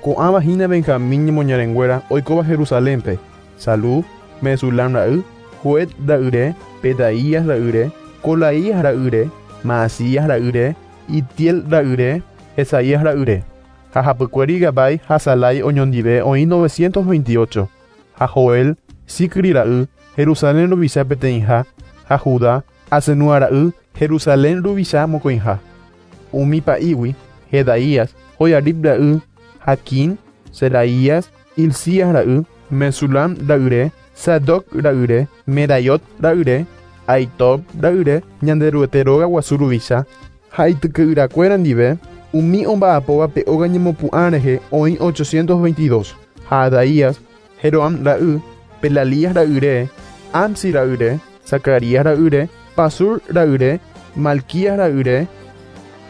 Ko'ãva hína Benjamín ñemoñarenguéra oikóva Jerusalénpe: Salú, Mesulam ra'y, Joed ra'yre, Pedaías ra'yre, Colaías ra'yre, Maasías ra'yre, Itiel ra'yre, Esaías ra'yre. Ha hapykuéri Gabai ha Salai oñondive oĩ novecientos veintiocho. Ha Joel, Sicri ra'y, Jerusalén ruvicha peteĩha, ha Judá, Asenúa ra'y, Jerusalén ruvicha mokõiha. Umi pa'ígui, Jedaías, Joiarib ra'y, Jaquín, Seraías, Hilcías ra'y, Mesulam ra'yre, Sadoc ra'yre, Meraiot ra'yre, Aitob ra'yre, Ñanderuete rogaguasu ruvicha, ha ityke'yrakuéra ndive, umi omba'apóva pe óga ñemopu'ã rehe oĩ ochocientos veintidós. Ha Adaías, Jeroam ra'y, Pelalías ra'yre, Amsi ra'yre, Zacarías ra'yre, Pasur ra'yre, Malquías ra'yre,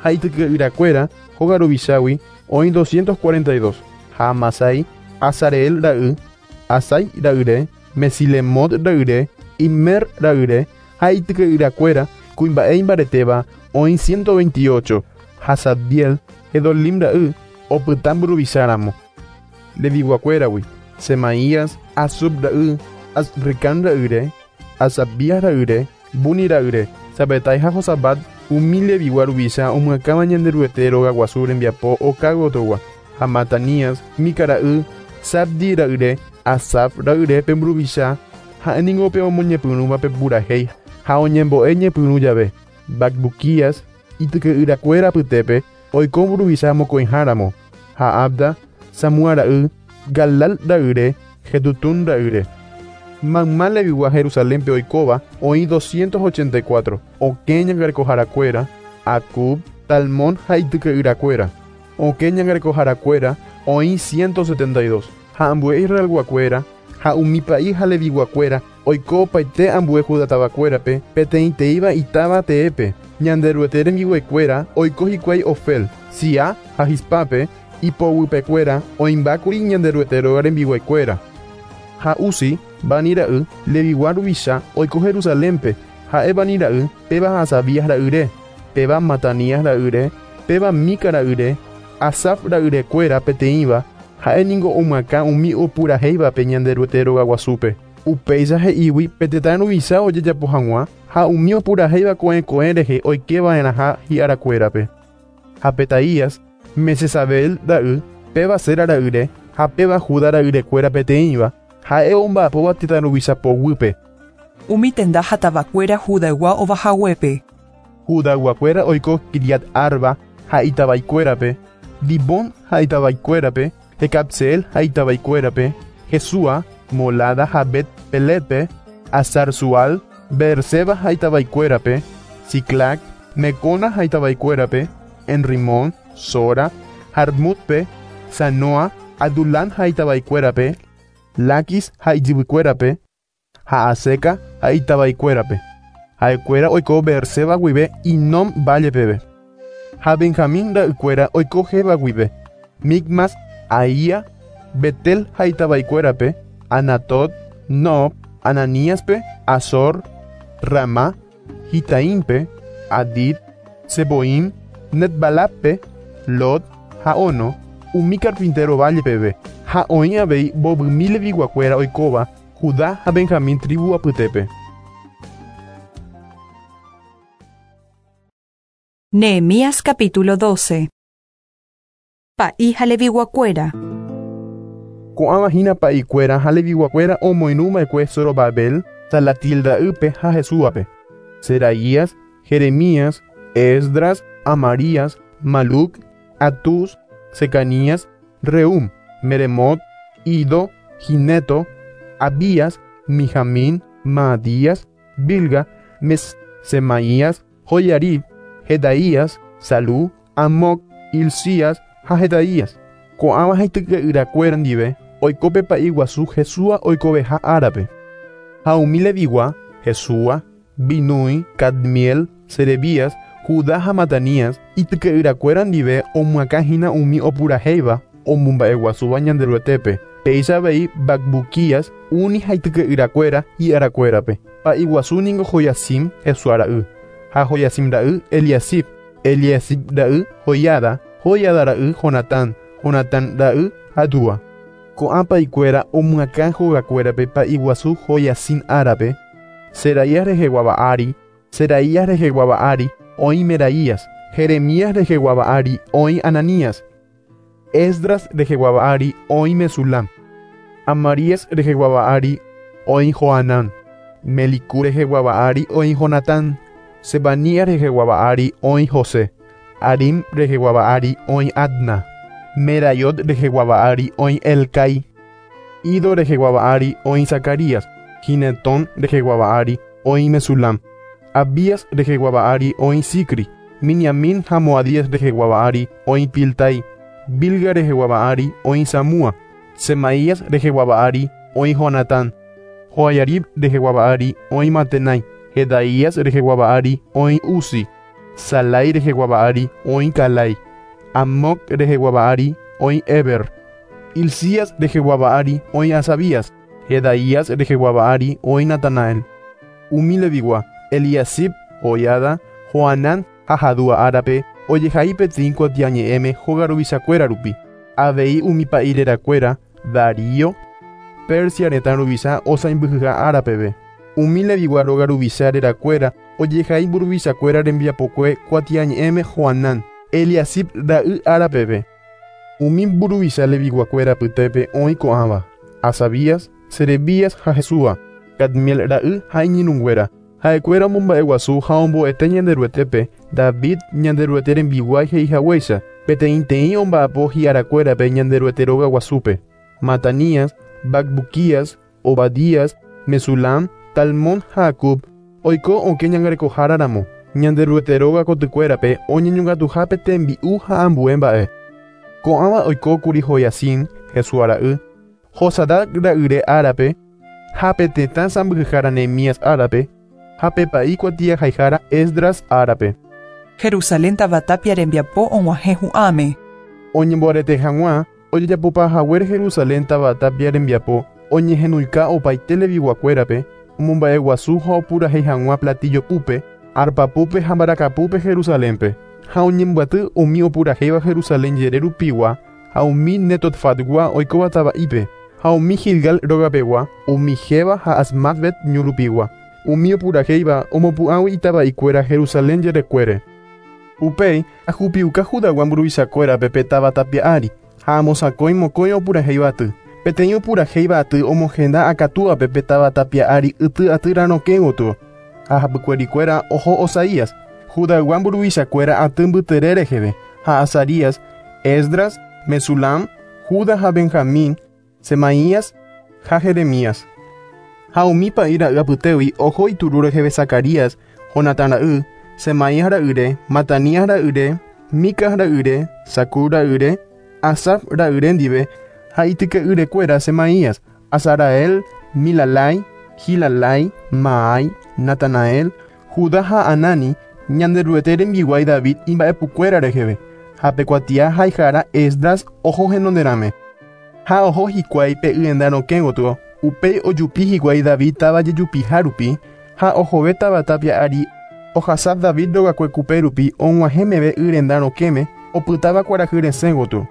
ha ityke'yrakuéra hóga ruvichágui oĩ doscientos cuarenta y dos. Ha Amasai, Azareel ra'y, Asai ra'yre, Mesilemot ra'yre, Immer ra'yre, ha ityke'yrakuéra Kuimba'e imbaretéva oĩ ciento veintiocho, ha Sabdiel, Gedolim ra'y, opyta mburuvicháramo. Leviguakuéragui, Semaías, Asub ra'y, Azricán ra'yre, Asabías ra'yre, Buni ra'yre, Sabetai ha Josabat, umi levigua ruvicha omyakãva Ñanderuete rogaguasu rembiapo oka gotogua, ha Matanías, Mica ra'y, Sabdi ra'yre, Asaf ra'yre pe mburuvicha, ha'éningo pe omoñepyrũva pe purahéi ha oñembo'e ñepyrũ jave. Bacbuquías, ityke'yrakuéra apytépe, oiko mburuvicha mokõiháramo, ha Abda, Samúa ra'y, Galal ra'yre, Jedutún ra'yre. Mayma levigua Jerusalénpe oikóva oĩ doscientos ochenta y cuatro, okẽ ñangarekoharakuéra, Acub, Talmón ha ityke'yrakuéra. Okẽ ñangarekoharakuéra oĩ ciento setenta y dos, ha ambue Israelguakuéra, ha umi pa'i ha leviguakuéra oiko opaite ambue Judatavakuérape peteĩteĩva itáva teépe. Ñanderuete rembiguaikuéra oiko hikuái Ofel, Siá ha Hispápe, ipoguypekuéra oĩmbákuri Ñanderuete róga rembiguaikuéra. Ha Uzi, Bani ra'y, levigua ruvicha oiko Jerusalénpe, ha'e Bani ra'y, péva Hasabías ra'yre, péva Matanías ra'yre, péva Mica ra'yre, Asaf ra'yrekuéra peteĩva, ha'éningo omyakã umi opurahéivape Ñanderuete rogaguasúpe. Upéicha he'ígui pe tetã ruvicha ojejapo hag̃ua ha umi opurahéiva ko'ẽko'ẽ rehe oikeva'erãha hi'arakuérape. Ha Petaías, Mesesabel ra'y, péva Sera ra'yre, ha péva Judá ra'yrekuéra peteĩva, ha'e omba'apóva tetã ruvicha poguýpe. Umi tenda ha tavakuéra Judaygua ovahaguépe. Judayguakuéra oiko Kiriat Arba ha itavaikuérape, Dibón ha itavaikuérape, Jecabseel ha itavaikuérape, Jesúa, Molada ha Bet Peletpe, Azar-Sual, Beerseba ha itavaikuérape, Siclac, Mecona ha itavaikuérape, Enrimón, Sora, Jarmutpe, Sanoa, Adulam ha itavaikuérape, Laquis ha ijyvykuérape, ha Aseca ha itavaikuérape. Ha'ekuéra oiko Beerseba guive Inom valle peve. Ha Benjamín ra'ykuéra oiko Geba guive, Micmas, Aía, Betel ha itavaikuérape, Anatot, Nob, Ananíaspe, Azor, Ramá, Gitaímpe, Adid, Seboim, Netbalappe, Lot, ha Ono, umi carpintero valle peve. Ha oĩ avei mbovymi leviguakuéra oikóva Judá ha Benjamín tribu apytépe. Nehemías capítulo doce. Pa'i ha leviguakuéra. Ko'ãva hína pa'ikuéra ha leviguakuéra omoirũva'ekue Zorobabel, Salatiel ra'ýpe ha Jesúape. Seraías, Jeremías, Esdras, Amarías, Maluc, Atús, Secanías, Reum, Meremot, Ido, Gineto, Abías, Mijamín, Maadías, Bilga, Mes, Semaías, Joyarib, Jedaías, Salú, Amoc, Hilcías ha Jedaías. Ko'ãva haityke'yrakuéra ndive oiko pe pa'i guasu Jesúa oikoveha árape. Ha umi levigua, Jesúa, Binui, Cadmiel, Serebías, Judá ha Matanías, ityke'yrakuéra ndive omyakãhína umi opurahéiva omomba'eguasúva Ñanderuetépe. Péicha avei Bacbuquías, Uni ha ityke'yrakuéra hi'arakuérape. Pa'i guasu ningo Joiacim, Jesúa ra'y, ha Joiacim ra'y Eliasib, Eliasib ra'y Joiada, Joiada ra'y Jonatán, Jonatán ra'y Jadúa. Ko'ã pa'ikuéra omyakã hogakuérape pa'i guasu Joiacim árape, Seraías reheguáva ári, Seraías reheguáva ári oĩ Meraías, Jeremías reheguáva ári oĩ Ananías, Esdras reheguáva ári oĩ Mesulam, Amarías reheguáva ári oĩ Joanán, Melicú reheguáva ári oĩ Jonatán, Sebanías reheguáva ári oĩ José, Arim reheguáva ári oĩ Adna, Merayot reheguáva ári oĩ Elcai, Ido reheguáva ári oĩ Zacarías, Ginetón reheguáva ári oĩ Mesulam, Abías reheguáva ári oĩ Sicri, Miniamín ha Moadías reheguáva ári oĩ Piltai, Bilga reheguáva ári oĩ Samúa, Semaías reheguáva ári oĩ Jonatán, Joiarib reheguáva ári oĩ Matenai, Jedaías reheguáva ári oĩ Uzi, Salai reheguáva ári oĩ Calai, Amoc reheguáva ári oĩ Eber, Hilcías reheguáva ári oĩ Asabías, Jedaías reheguáva ári oĩ Natanael. Umi levigua, Eliasib, Joiada, Joanán ha Jadúa árape ojehai peteĩ kuatiañe'ẽme hóga ruvichakuéra rupi. Avei umi pa'i rerakuéra Darío, Persia retã ruvicha osãimbyhyha árapeve. Umi Levigua róga ruvicha rerakuéra ojehai mburuvichakuéra rembiapokue kuatiañe'ẽme Joanán, Eliasib ra'y árapeve. Umi mburuvicha Leviguakuéra apytépe oĩ ko'ãva: Asabías, Serebías ha Jesúa, Cadmiel ra'y ha iñirũnguéra. Ha'ekuéra omomba'eguasu ha ombo'ete Ñanderuetépe, David Ñanderuete rembiguái he'ihaguéicha, peteĩteĩ omba'apo hi'arakuérape Ñanderuete róga guasúpe. Matanías, Bacbuquías, Obadías, Mesulam, Talmón ha Acub oiko okẽ ñangarekoháraramo. Ñanderuete róga kotykuérape oñeñongatuhápe tembi'u ha ambue mba'e. Ko'ãva oikókuri Joiacim, Jesúa ra'y, Josadac ra'yre árape, ha pe tetã sãmbyhyhára Nehemías árape, ha pe pa'i kuatiahaihára Esdras árape. Jerusalén tavatapia rembiapo og̃uahẽ hu'ãme. Oñemboarete hag̃ua ojejapopahaguére Jerusalén tavatapia rembiapo oñehenóika opaite Leviguakuérape omomba'eguasu ha opurahéi hag̃ua platillo púpe, arpa púpe ha mbarakapúpe Jerusalénpe. Ha oñembyaty umi opurahéiva Jerusalén jere rupigua ha umi Netotfatgua oikóva tava'ípe, ha umi Gilgal rogapegua, umi Geba ha Asmatvet ñu rupigua. Umi opurahéiva omopu'ãgui itava'ikuéra Jerusalén jerekuére. Upéi ajupiuka Judagua mburuvichakuérape pe táva tapia ári ha amosakõi mokõi opurahéiva aty. Peteĩ opurahéiva aty omohenda akatúape pe táva tapia ári yty atýra rokẽ gotyo. Ha hapykuerikuéra oho Osaías, Judagua mburuvichakuéra aty mbytere reheve, ha Azarías, Esdras, Mesulam, Judá ha Benjamín, Semaías ha Jeremías. Ha umi pa'i ra'y apytégui oho ituru reheve Zacarías, Jonatán ra'y, Semaías ra'yre, Matanías ra'yre, Micas ra'yre, Zacur ra'yre, Asaf ra'yre ndive, ha ityke'yrekuéra Semaías, Azarael, Milalai, Gilalai, Maai, Natanael, Judá ha Anani, Ñanderuete rembiguái David imba'epukuéra reheve, ha pe kuatia haihára Esdras oho henonderãme. Ha oho hikuái pe yenda rokẽ gotyo, upéi ojupi hikuái David táva jejupiha rupi, ha ohove táva tapia ári ohasa David rogakuekupe rupi og̃uahẽ meve yrenda rokẽme opytáva kuarahy resẽ gotyo.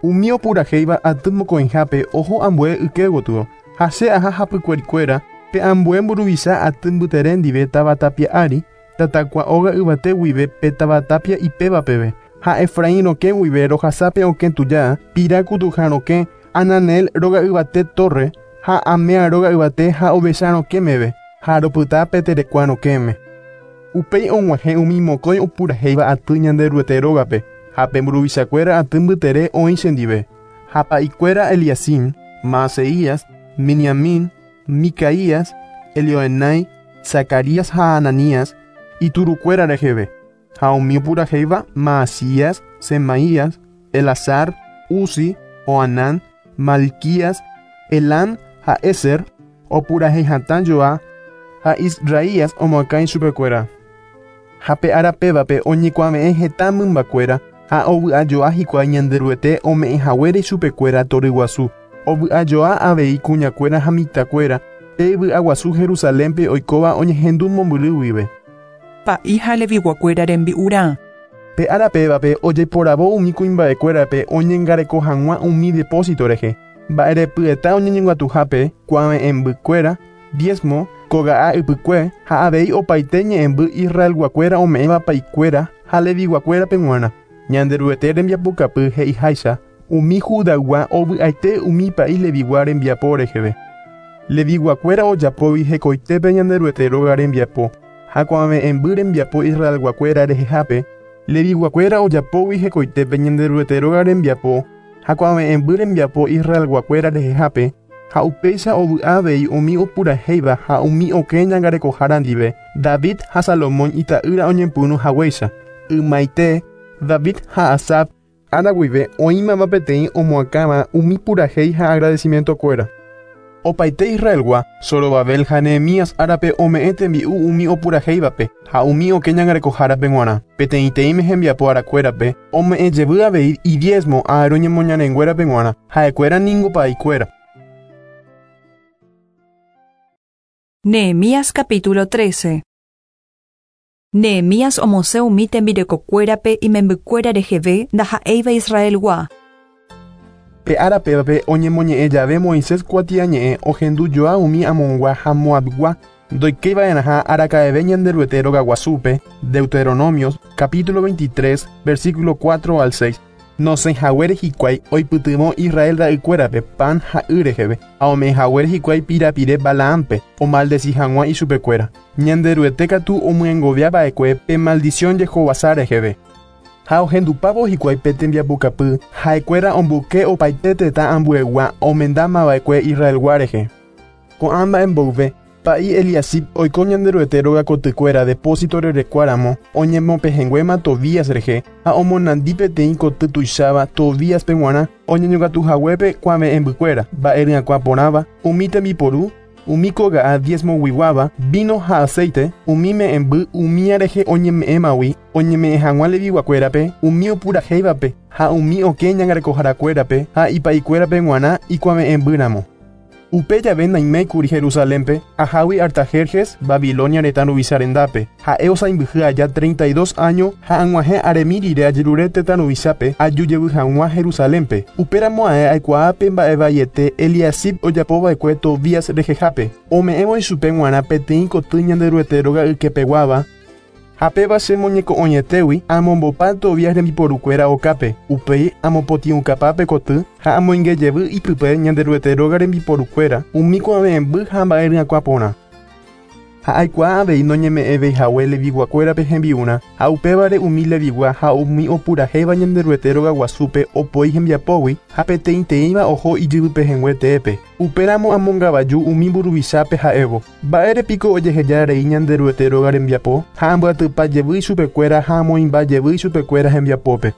Umi opurahéiva aty mokõihápe oho ambue yke gotyo, ha che aha hapykuerikuéra pe ambue mburuvicha aty mbytere ndive táva tapia ári, tatakua óga yvate guive pe táva tapia ipéva peve. Ha Efraín rokẽ guive rohasápe okẽ tuja, pira kutuha rokẽ, Ananel róga yvate torre, ha Amea róga yvate ha ovecha rokẽ meve, ha ropyta pe terekua rokẽme. Upéi og̃uahẽ umi mokõi opurahéiva aty Ñanderuete rógape, ha pe mburuvichakuéra aty mbytere oĩ chendive. Ha pa'ikuéra Eliacim, Maaseías, Miniamín, Micaías, Elioenai, Zacarías ha Ananías, iturukuéra reheve. Ha umi opurahéiva Maasías, Semaías, Elazar, Uzi, Joanán, Malquías, Elam ha Ezer, opurahéi hatã joa ha Israías omoakã ichupekuéra. Ha pe árapévape oñekuave'ẽ heta mymbakuéra ha ovy'ajoa hikuái Ñanderuete ome'ẽhaguére ichupekuéra toryguasu. Ovy'ajoa avei kuñakuéra ha mitãkuéra pe vy'aguasu Jerusalénpe oikóva oñehendu mombyry guive. Pa'i ha Leviguakuéra rembi'urã. Pe árapévape ojeiporavo umi kuimba'ekuérape oñengareko hag̃ua umi depósito rehe. Mba'erepyeta oñeñongatuhápe kuave'ẽmbykuéra, diezmo, koga'a ypykue ha avei opaite ñe'ẽmby Israelguakuéra ome'ẽva pa'ikuéra ha Leviguakuérape g̃uarã. Ñanderuete rembiapokapy he'iháicha umi Judaygua ovy'aite umi pa'i Levigua rembiapo reheve. Leviguakuéra ojapóvi hekoitépe Ñanderuete róga rembiapo ha kuave'ẽmby rembiapo Israelguakuéra rehehápe. Leviguakuéra ojapóvi hekoitépe Ñanderuete róga rembiapo ha kuave'ẽmby rembiapo Israelguakuéra rehehápe, ha upéicha ovy'a avei umi opurahéiva ha umi okẽ ñangarekohára ndive David ha Salomón ita'ýra oñepyrũ haguéicha. Ymaite David ha Asaf ára guive oĩmava peteĩ omoakãva umi purahéi ha agradecimientokuéra. Opaite Israelgua, Zorobabel ha Nehemías árape ome'ẽ tembi'u umi opurahéivape ha umi okẽ ñangarekohárape g̃uarã. Peteĩteĩme hembiapo arakuérape ome'ẽ jevy avei idiezmo Aarón ñemoñarenguérape g̃uarã, ha'ekuéra ningo pa'ikuéra. Nehemías capítulo trece. Nehemías omosẽ umi tembirekokuérape imembykuéra reheve ndaha'éiva Israelgua. Pe árape oñemoñe'ẽ jave Moisés kuatiañe'ẽ ohendujoa umi Amongua ha Moabgua ndoikéiva'erãha araka'eve Ñanderuete rogaguasúpe. Deuteronomios capítulo veintitrés versículo cuatro al seis. Nosẽhaguére hikuái oipytyvõ Israel ra'ykuérape pan ha y reheve ha ome'ẽhaguére hikuái pirapire Balaampe omaldeci hag̃ua ichupekuéra. Ñanderuete katu omyengoviava'ekue pe maldición jehovasa reheve. Ha ohendupávo hikuái pe tembiapokapy ha'ekuéra omboyke opaite tetã ambuegua omendamava'ekue Israelgua rehe. Ko'ã mba'e mboyve Pa'i Eliasib oiko Ñanderuete rogakotykuéra depósito rerekuáramo oñemopehẽnguéma Tobías rehe ha omonandi peteĩ koty tuicháva Tobíaspe g̃uarã oñeñongatuhaguépe kuave'ẽmbykuéra mba'e porãva umi tembiporu umi koga'a diezmoguiguáva vino ha aceite umi me'ẽmby umía rehe oñeme'ẽmagui oñeme'ẽ hag̃ua leviguakuérape umi opurahéivape ha umi okẽ ñangarekoharakuérape ha ipa'ikuérape g̃uarã ikuave'ẽmbýramo. Upe jave naiméikuri Jerusalénpe ahágui Artajerjes Babilonia retã ruvicha rendápe ha'e osãimbyhy aja treinta y dos año ha ag̃uahẽ aremi rire ajerure tetã ruvichápe ajujevy hag̃ua Jerusalénpe. Upéramo ae aikuaápe mba'evaiete Eliasib ojapova'ekue Tobías rehehápe ome'ẽvo ichupe g̃uarã peteĩ koty Ñanderuete róga ykepeguáva ha péva che moñeko'õietégui amombopa Tobías rembiporukuéra okápe upéi amopotĩukapápe koty ha amoingejevy ipype Ñanderuete róga rembiporukuéra umi kuave'ẽmby ha mba'e ryakuã porã. Ha aikuaa avei noñeme'ẽveihague leviguakuérape hembi'urã ha upévare umi levigua ha umi opurahéiva Ñanderuete rogaguasúpe opoi hembiapógui ha peteĩteĩva oho ijyvypehẽngue teépe. Upéramo amongavaju umi mburuvichápe ha'évo mba'érepiko ojeheja rei Ñanderuete róga rembiapo ha ambyatypa jevy ichupekuéra ha amoĩmba jevy ichupekuéra hembiapópe.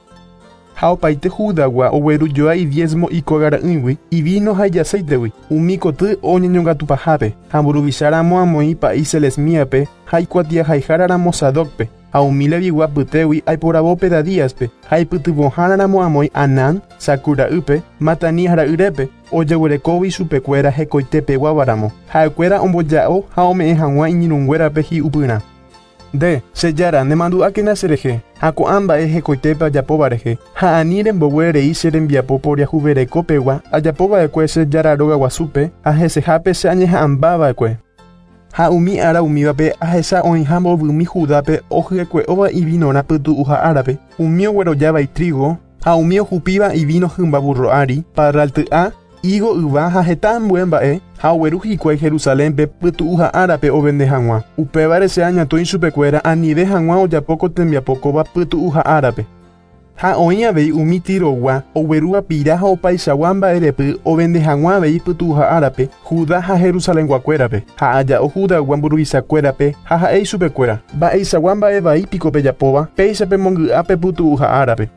Ha opaite Judagua oguerujoa idiezmo ikogara'ỹigui ivino ha ijaceítegui umi koty oñeñongatupahápe ha mburuvicháramo amoĩ pa'i Selesmíape ha ikuatiahaiháraramo Sadocpe ha umi levigua pytégui aiporavo Pedadíaspe ha ipytyvõháraramo amoĩ Anán Sakura'ýpe Matanías ra'yrépe ojeguerekógui chupekuéra hekoitepeguávaramo ha'ekuéra omboja'o ha ome'ẽ hag̃ua iñirũnguérape hi'upyrã. Nde, che jára, nemandu'ákena cherehe ha ko'ã mba'e hekoitépe ajapóva rehe ha ani rembogue rei che rembiapo poriahuverekopegua ajapova'ekue che jára rogaguasúpe ha hesehápe che añeha'ãmbava'ekue. Ha umi ára umívape ahecha oĩha mbovymi Judápe ohyekue'óva ivinorã pytu'uha árape umi oguerojáva itrigo ha umi ohupíva ivino hymba burro ári parralty'a higo yva ha heta ambue mba'e ha ogueru hikuái Jerusalénpe pytu'uha árape ovende hag̃ua. Upévare che añatõi ichupekuéra anive hag̃ua ojapo ko tembiapo kóva pytu'uha árape. Ha oĩ avei umi Tirogua oguerúva pira ha opaichagua mba'erepy ovende hag̃ua avei pytu'uha árape Judá ha Jerusalenguakuérape ha aja'o Judagua mburuvichakuérape ha ha'e ichupekuéra mba'eichagua mba'evaípiko pejapóva péicha pemongy'a pytu'uha árape.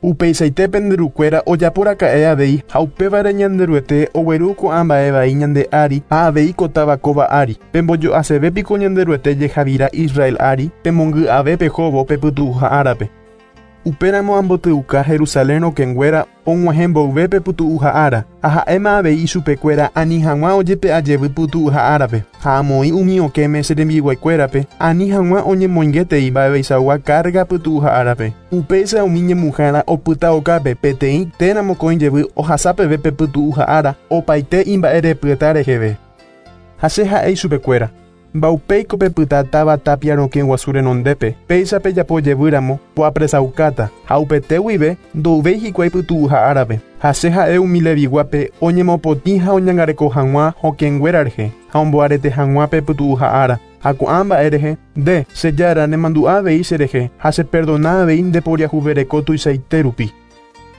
Upeichaite penderukuéra ojaporaka'e avei ha upévare Ñanderuete ogueru ko'ã mba'evai ñande ári ha avei ko táva kóva ári. Pembojo'asevépiko Ñanderuete jehavira Israel ári pemongy'ave pehóvo pe pytu'uha árape. Upéramo ambotyuka Jerusalén rokẽnguéra og̃uahẽ mboyve pe pytu'uha ára ha ha'éma avei ichupekuéra ani hag̃ua ojepe'ajevy pytu'uha árape ha amoĩ umi okẽme che rembiguaikuérape ani hag̃ua oñemoingetei mba'eveichagua carga pytu'uha árape. Upéicha umi ñemuhára opyta okápe peteĩ térã mokõi jevy ohasa peve pe pytu'uha ára opaite imba'erepyeta reheve. Ha che ha'e ichupekuéra Mbaupéiko pepyta táva tapia rokẽ guasu renondépe péicha pejapo jevýramo poapresaukáta ha upete guive ndouvéi hikuái pytu'uha árape ha che ha'e umi leviguápe oñemopotĩ ha oñangareko hag̃ua hokẽnguéra rehe ha omboarete hag̃ua pe pytu'uha ára ha ko'ã mba'e rehe nde che jára nemandu'a avei cherehe ha cheperdona avei ndeporiahuvereko tuichaite rupi.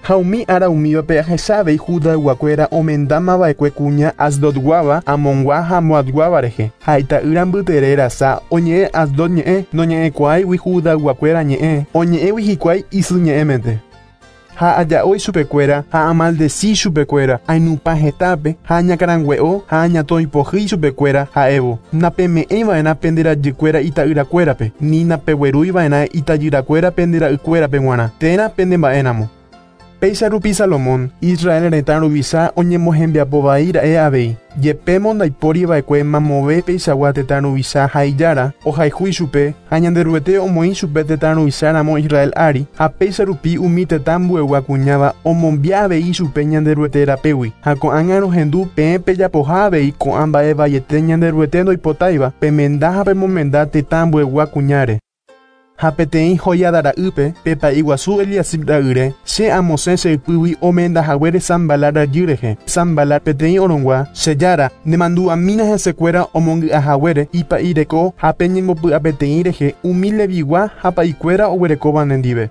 Ha umi ára umívape ahecha avei Judayguakuéra omendamava'ekue kuña Asdodguáva Amongua ha Moabguáva rehe ha ita'ýra mbytere rasa oñe'ẽ Asdod ñe'ẽ noñe'ẽkuaáigui Judayguakuéra ñe'ẽ oñe'ẽgui hikuái isy ñe'ẽmente. Ha aja'o ichupekuéra ha amaldeci ichupekuéra ainupã hetápe ha añakarangue'o ha añatõipohýi ichupekuéra ha'évo napeme'ẽiva'erã pende rajykuéra ita'yrakuérape ni napeguerúiva'erã itajyrakuéra pende ra'ykuérape g̃uarã térã pende mba'éramo. Péicha rupi Salomón, Israel retã ruvicha oñemohembiapo vai ra'e avei. Jepémo ndaipóriva'ekue mamove peichagua tetã ruvicha ha ijára ohayhu ichupe ha Ñanderuete omoĩ chupe tetã ruvicháramo Israel ári ha péicha rupi umi tetã ambuegua kuñáva omombia avei ichupe Ñanderuete rapégui ha ko'ág̃a rohendu peẽ pejapoha avei ko'ã mba'e vaiete Ñanderuete ndoipotáiva pemenda ha pemomenda tetã ambuegua kuñáre. Ha peteĩ Joiada ra'ýpe pe guasu Eliasib ra'yre che amosẽ che ypýgui omendahaguére Sanbalat rajy rehe. Sanbalat peteĩ orongua che jára nemandu'amína hesekuéra omongy'ahaguére ipa'ireko ha peñembopy'apeteĩ rehe umi levigua ha pa'ikuéra oguerekóva nendive.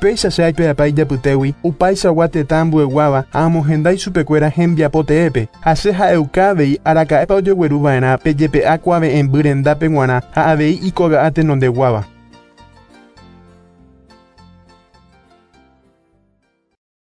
Péicha che aipe'apa ijapytégui upaichagua tetã ambueguáva ha amohenda ichupekuéra hembiapo teépe ha che ha'euka avei araka'épa ojegueruva'erã pe jepe'a kuave'ẽmby rendápe g̃uarã ha avei ikoga'a tenondeguáva.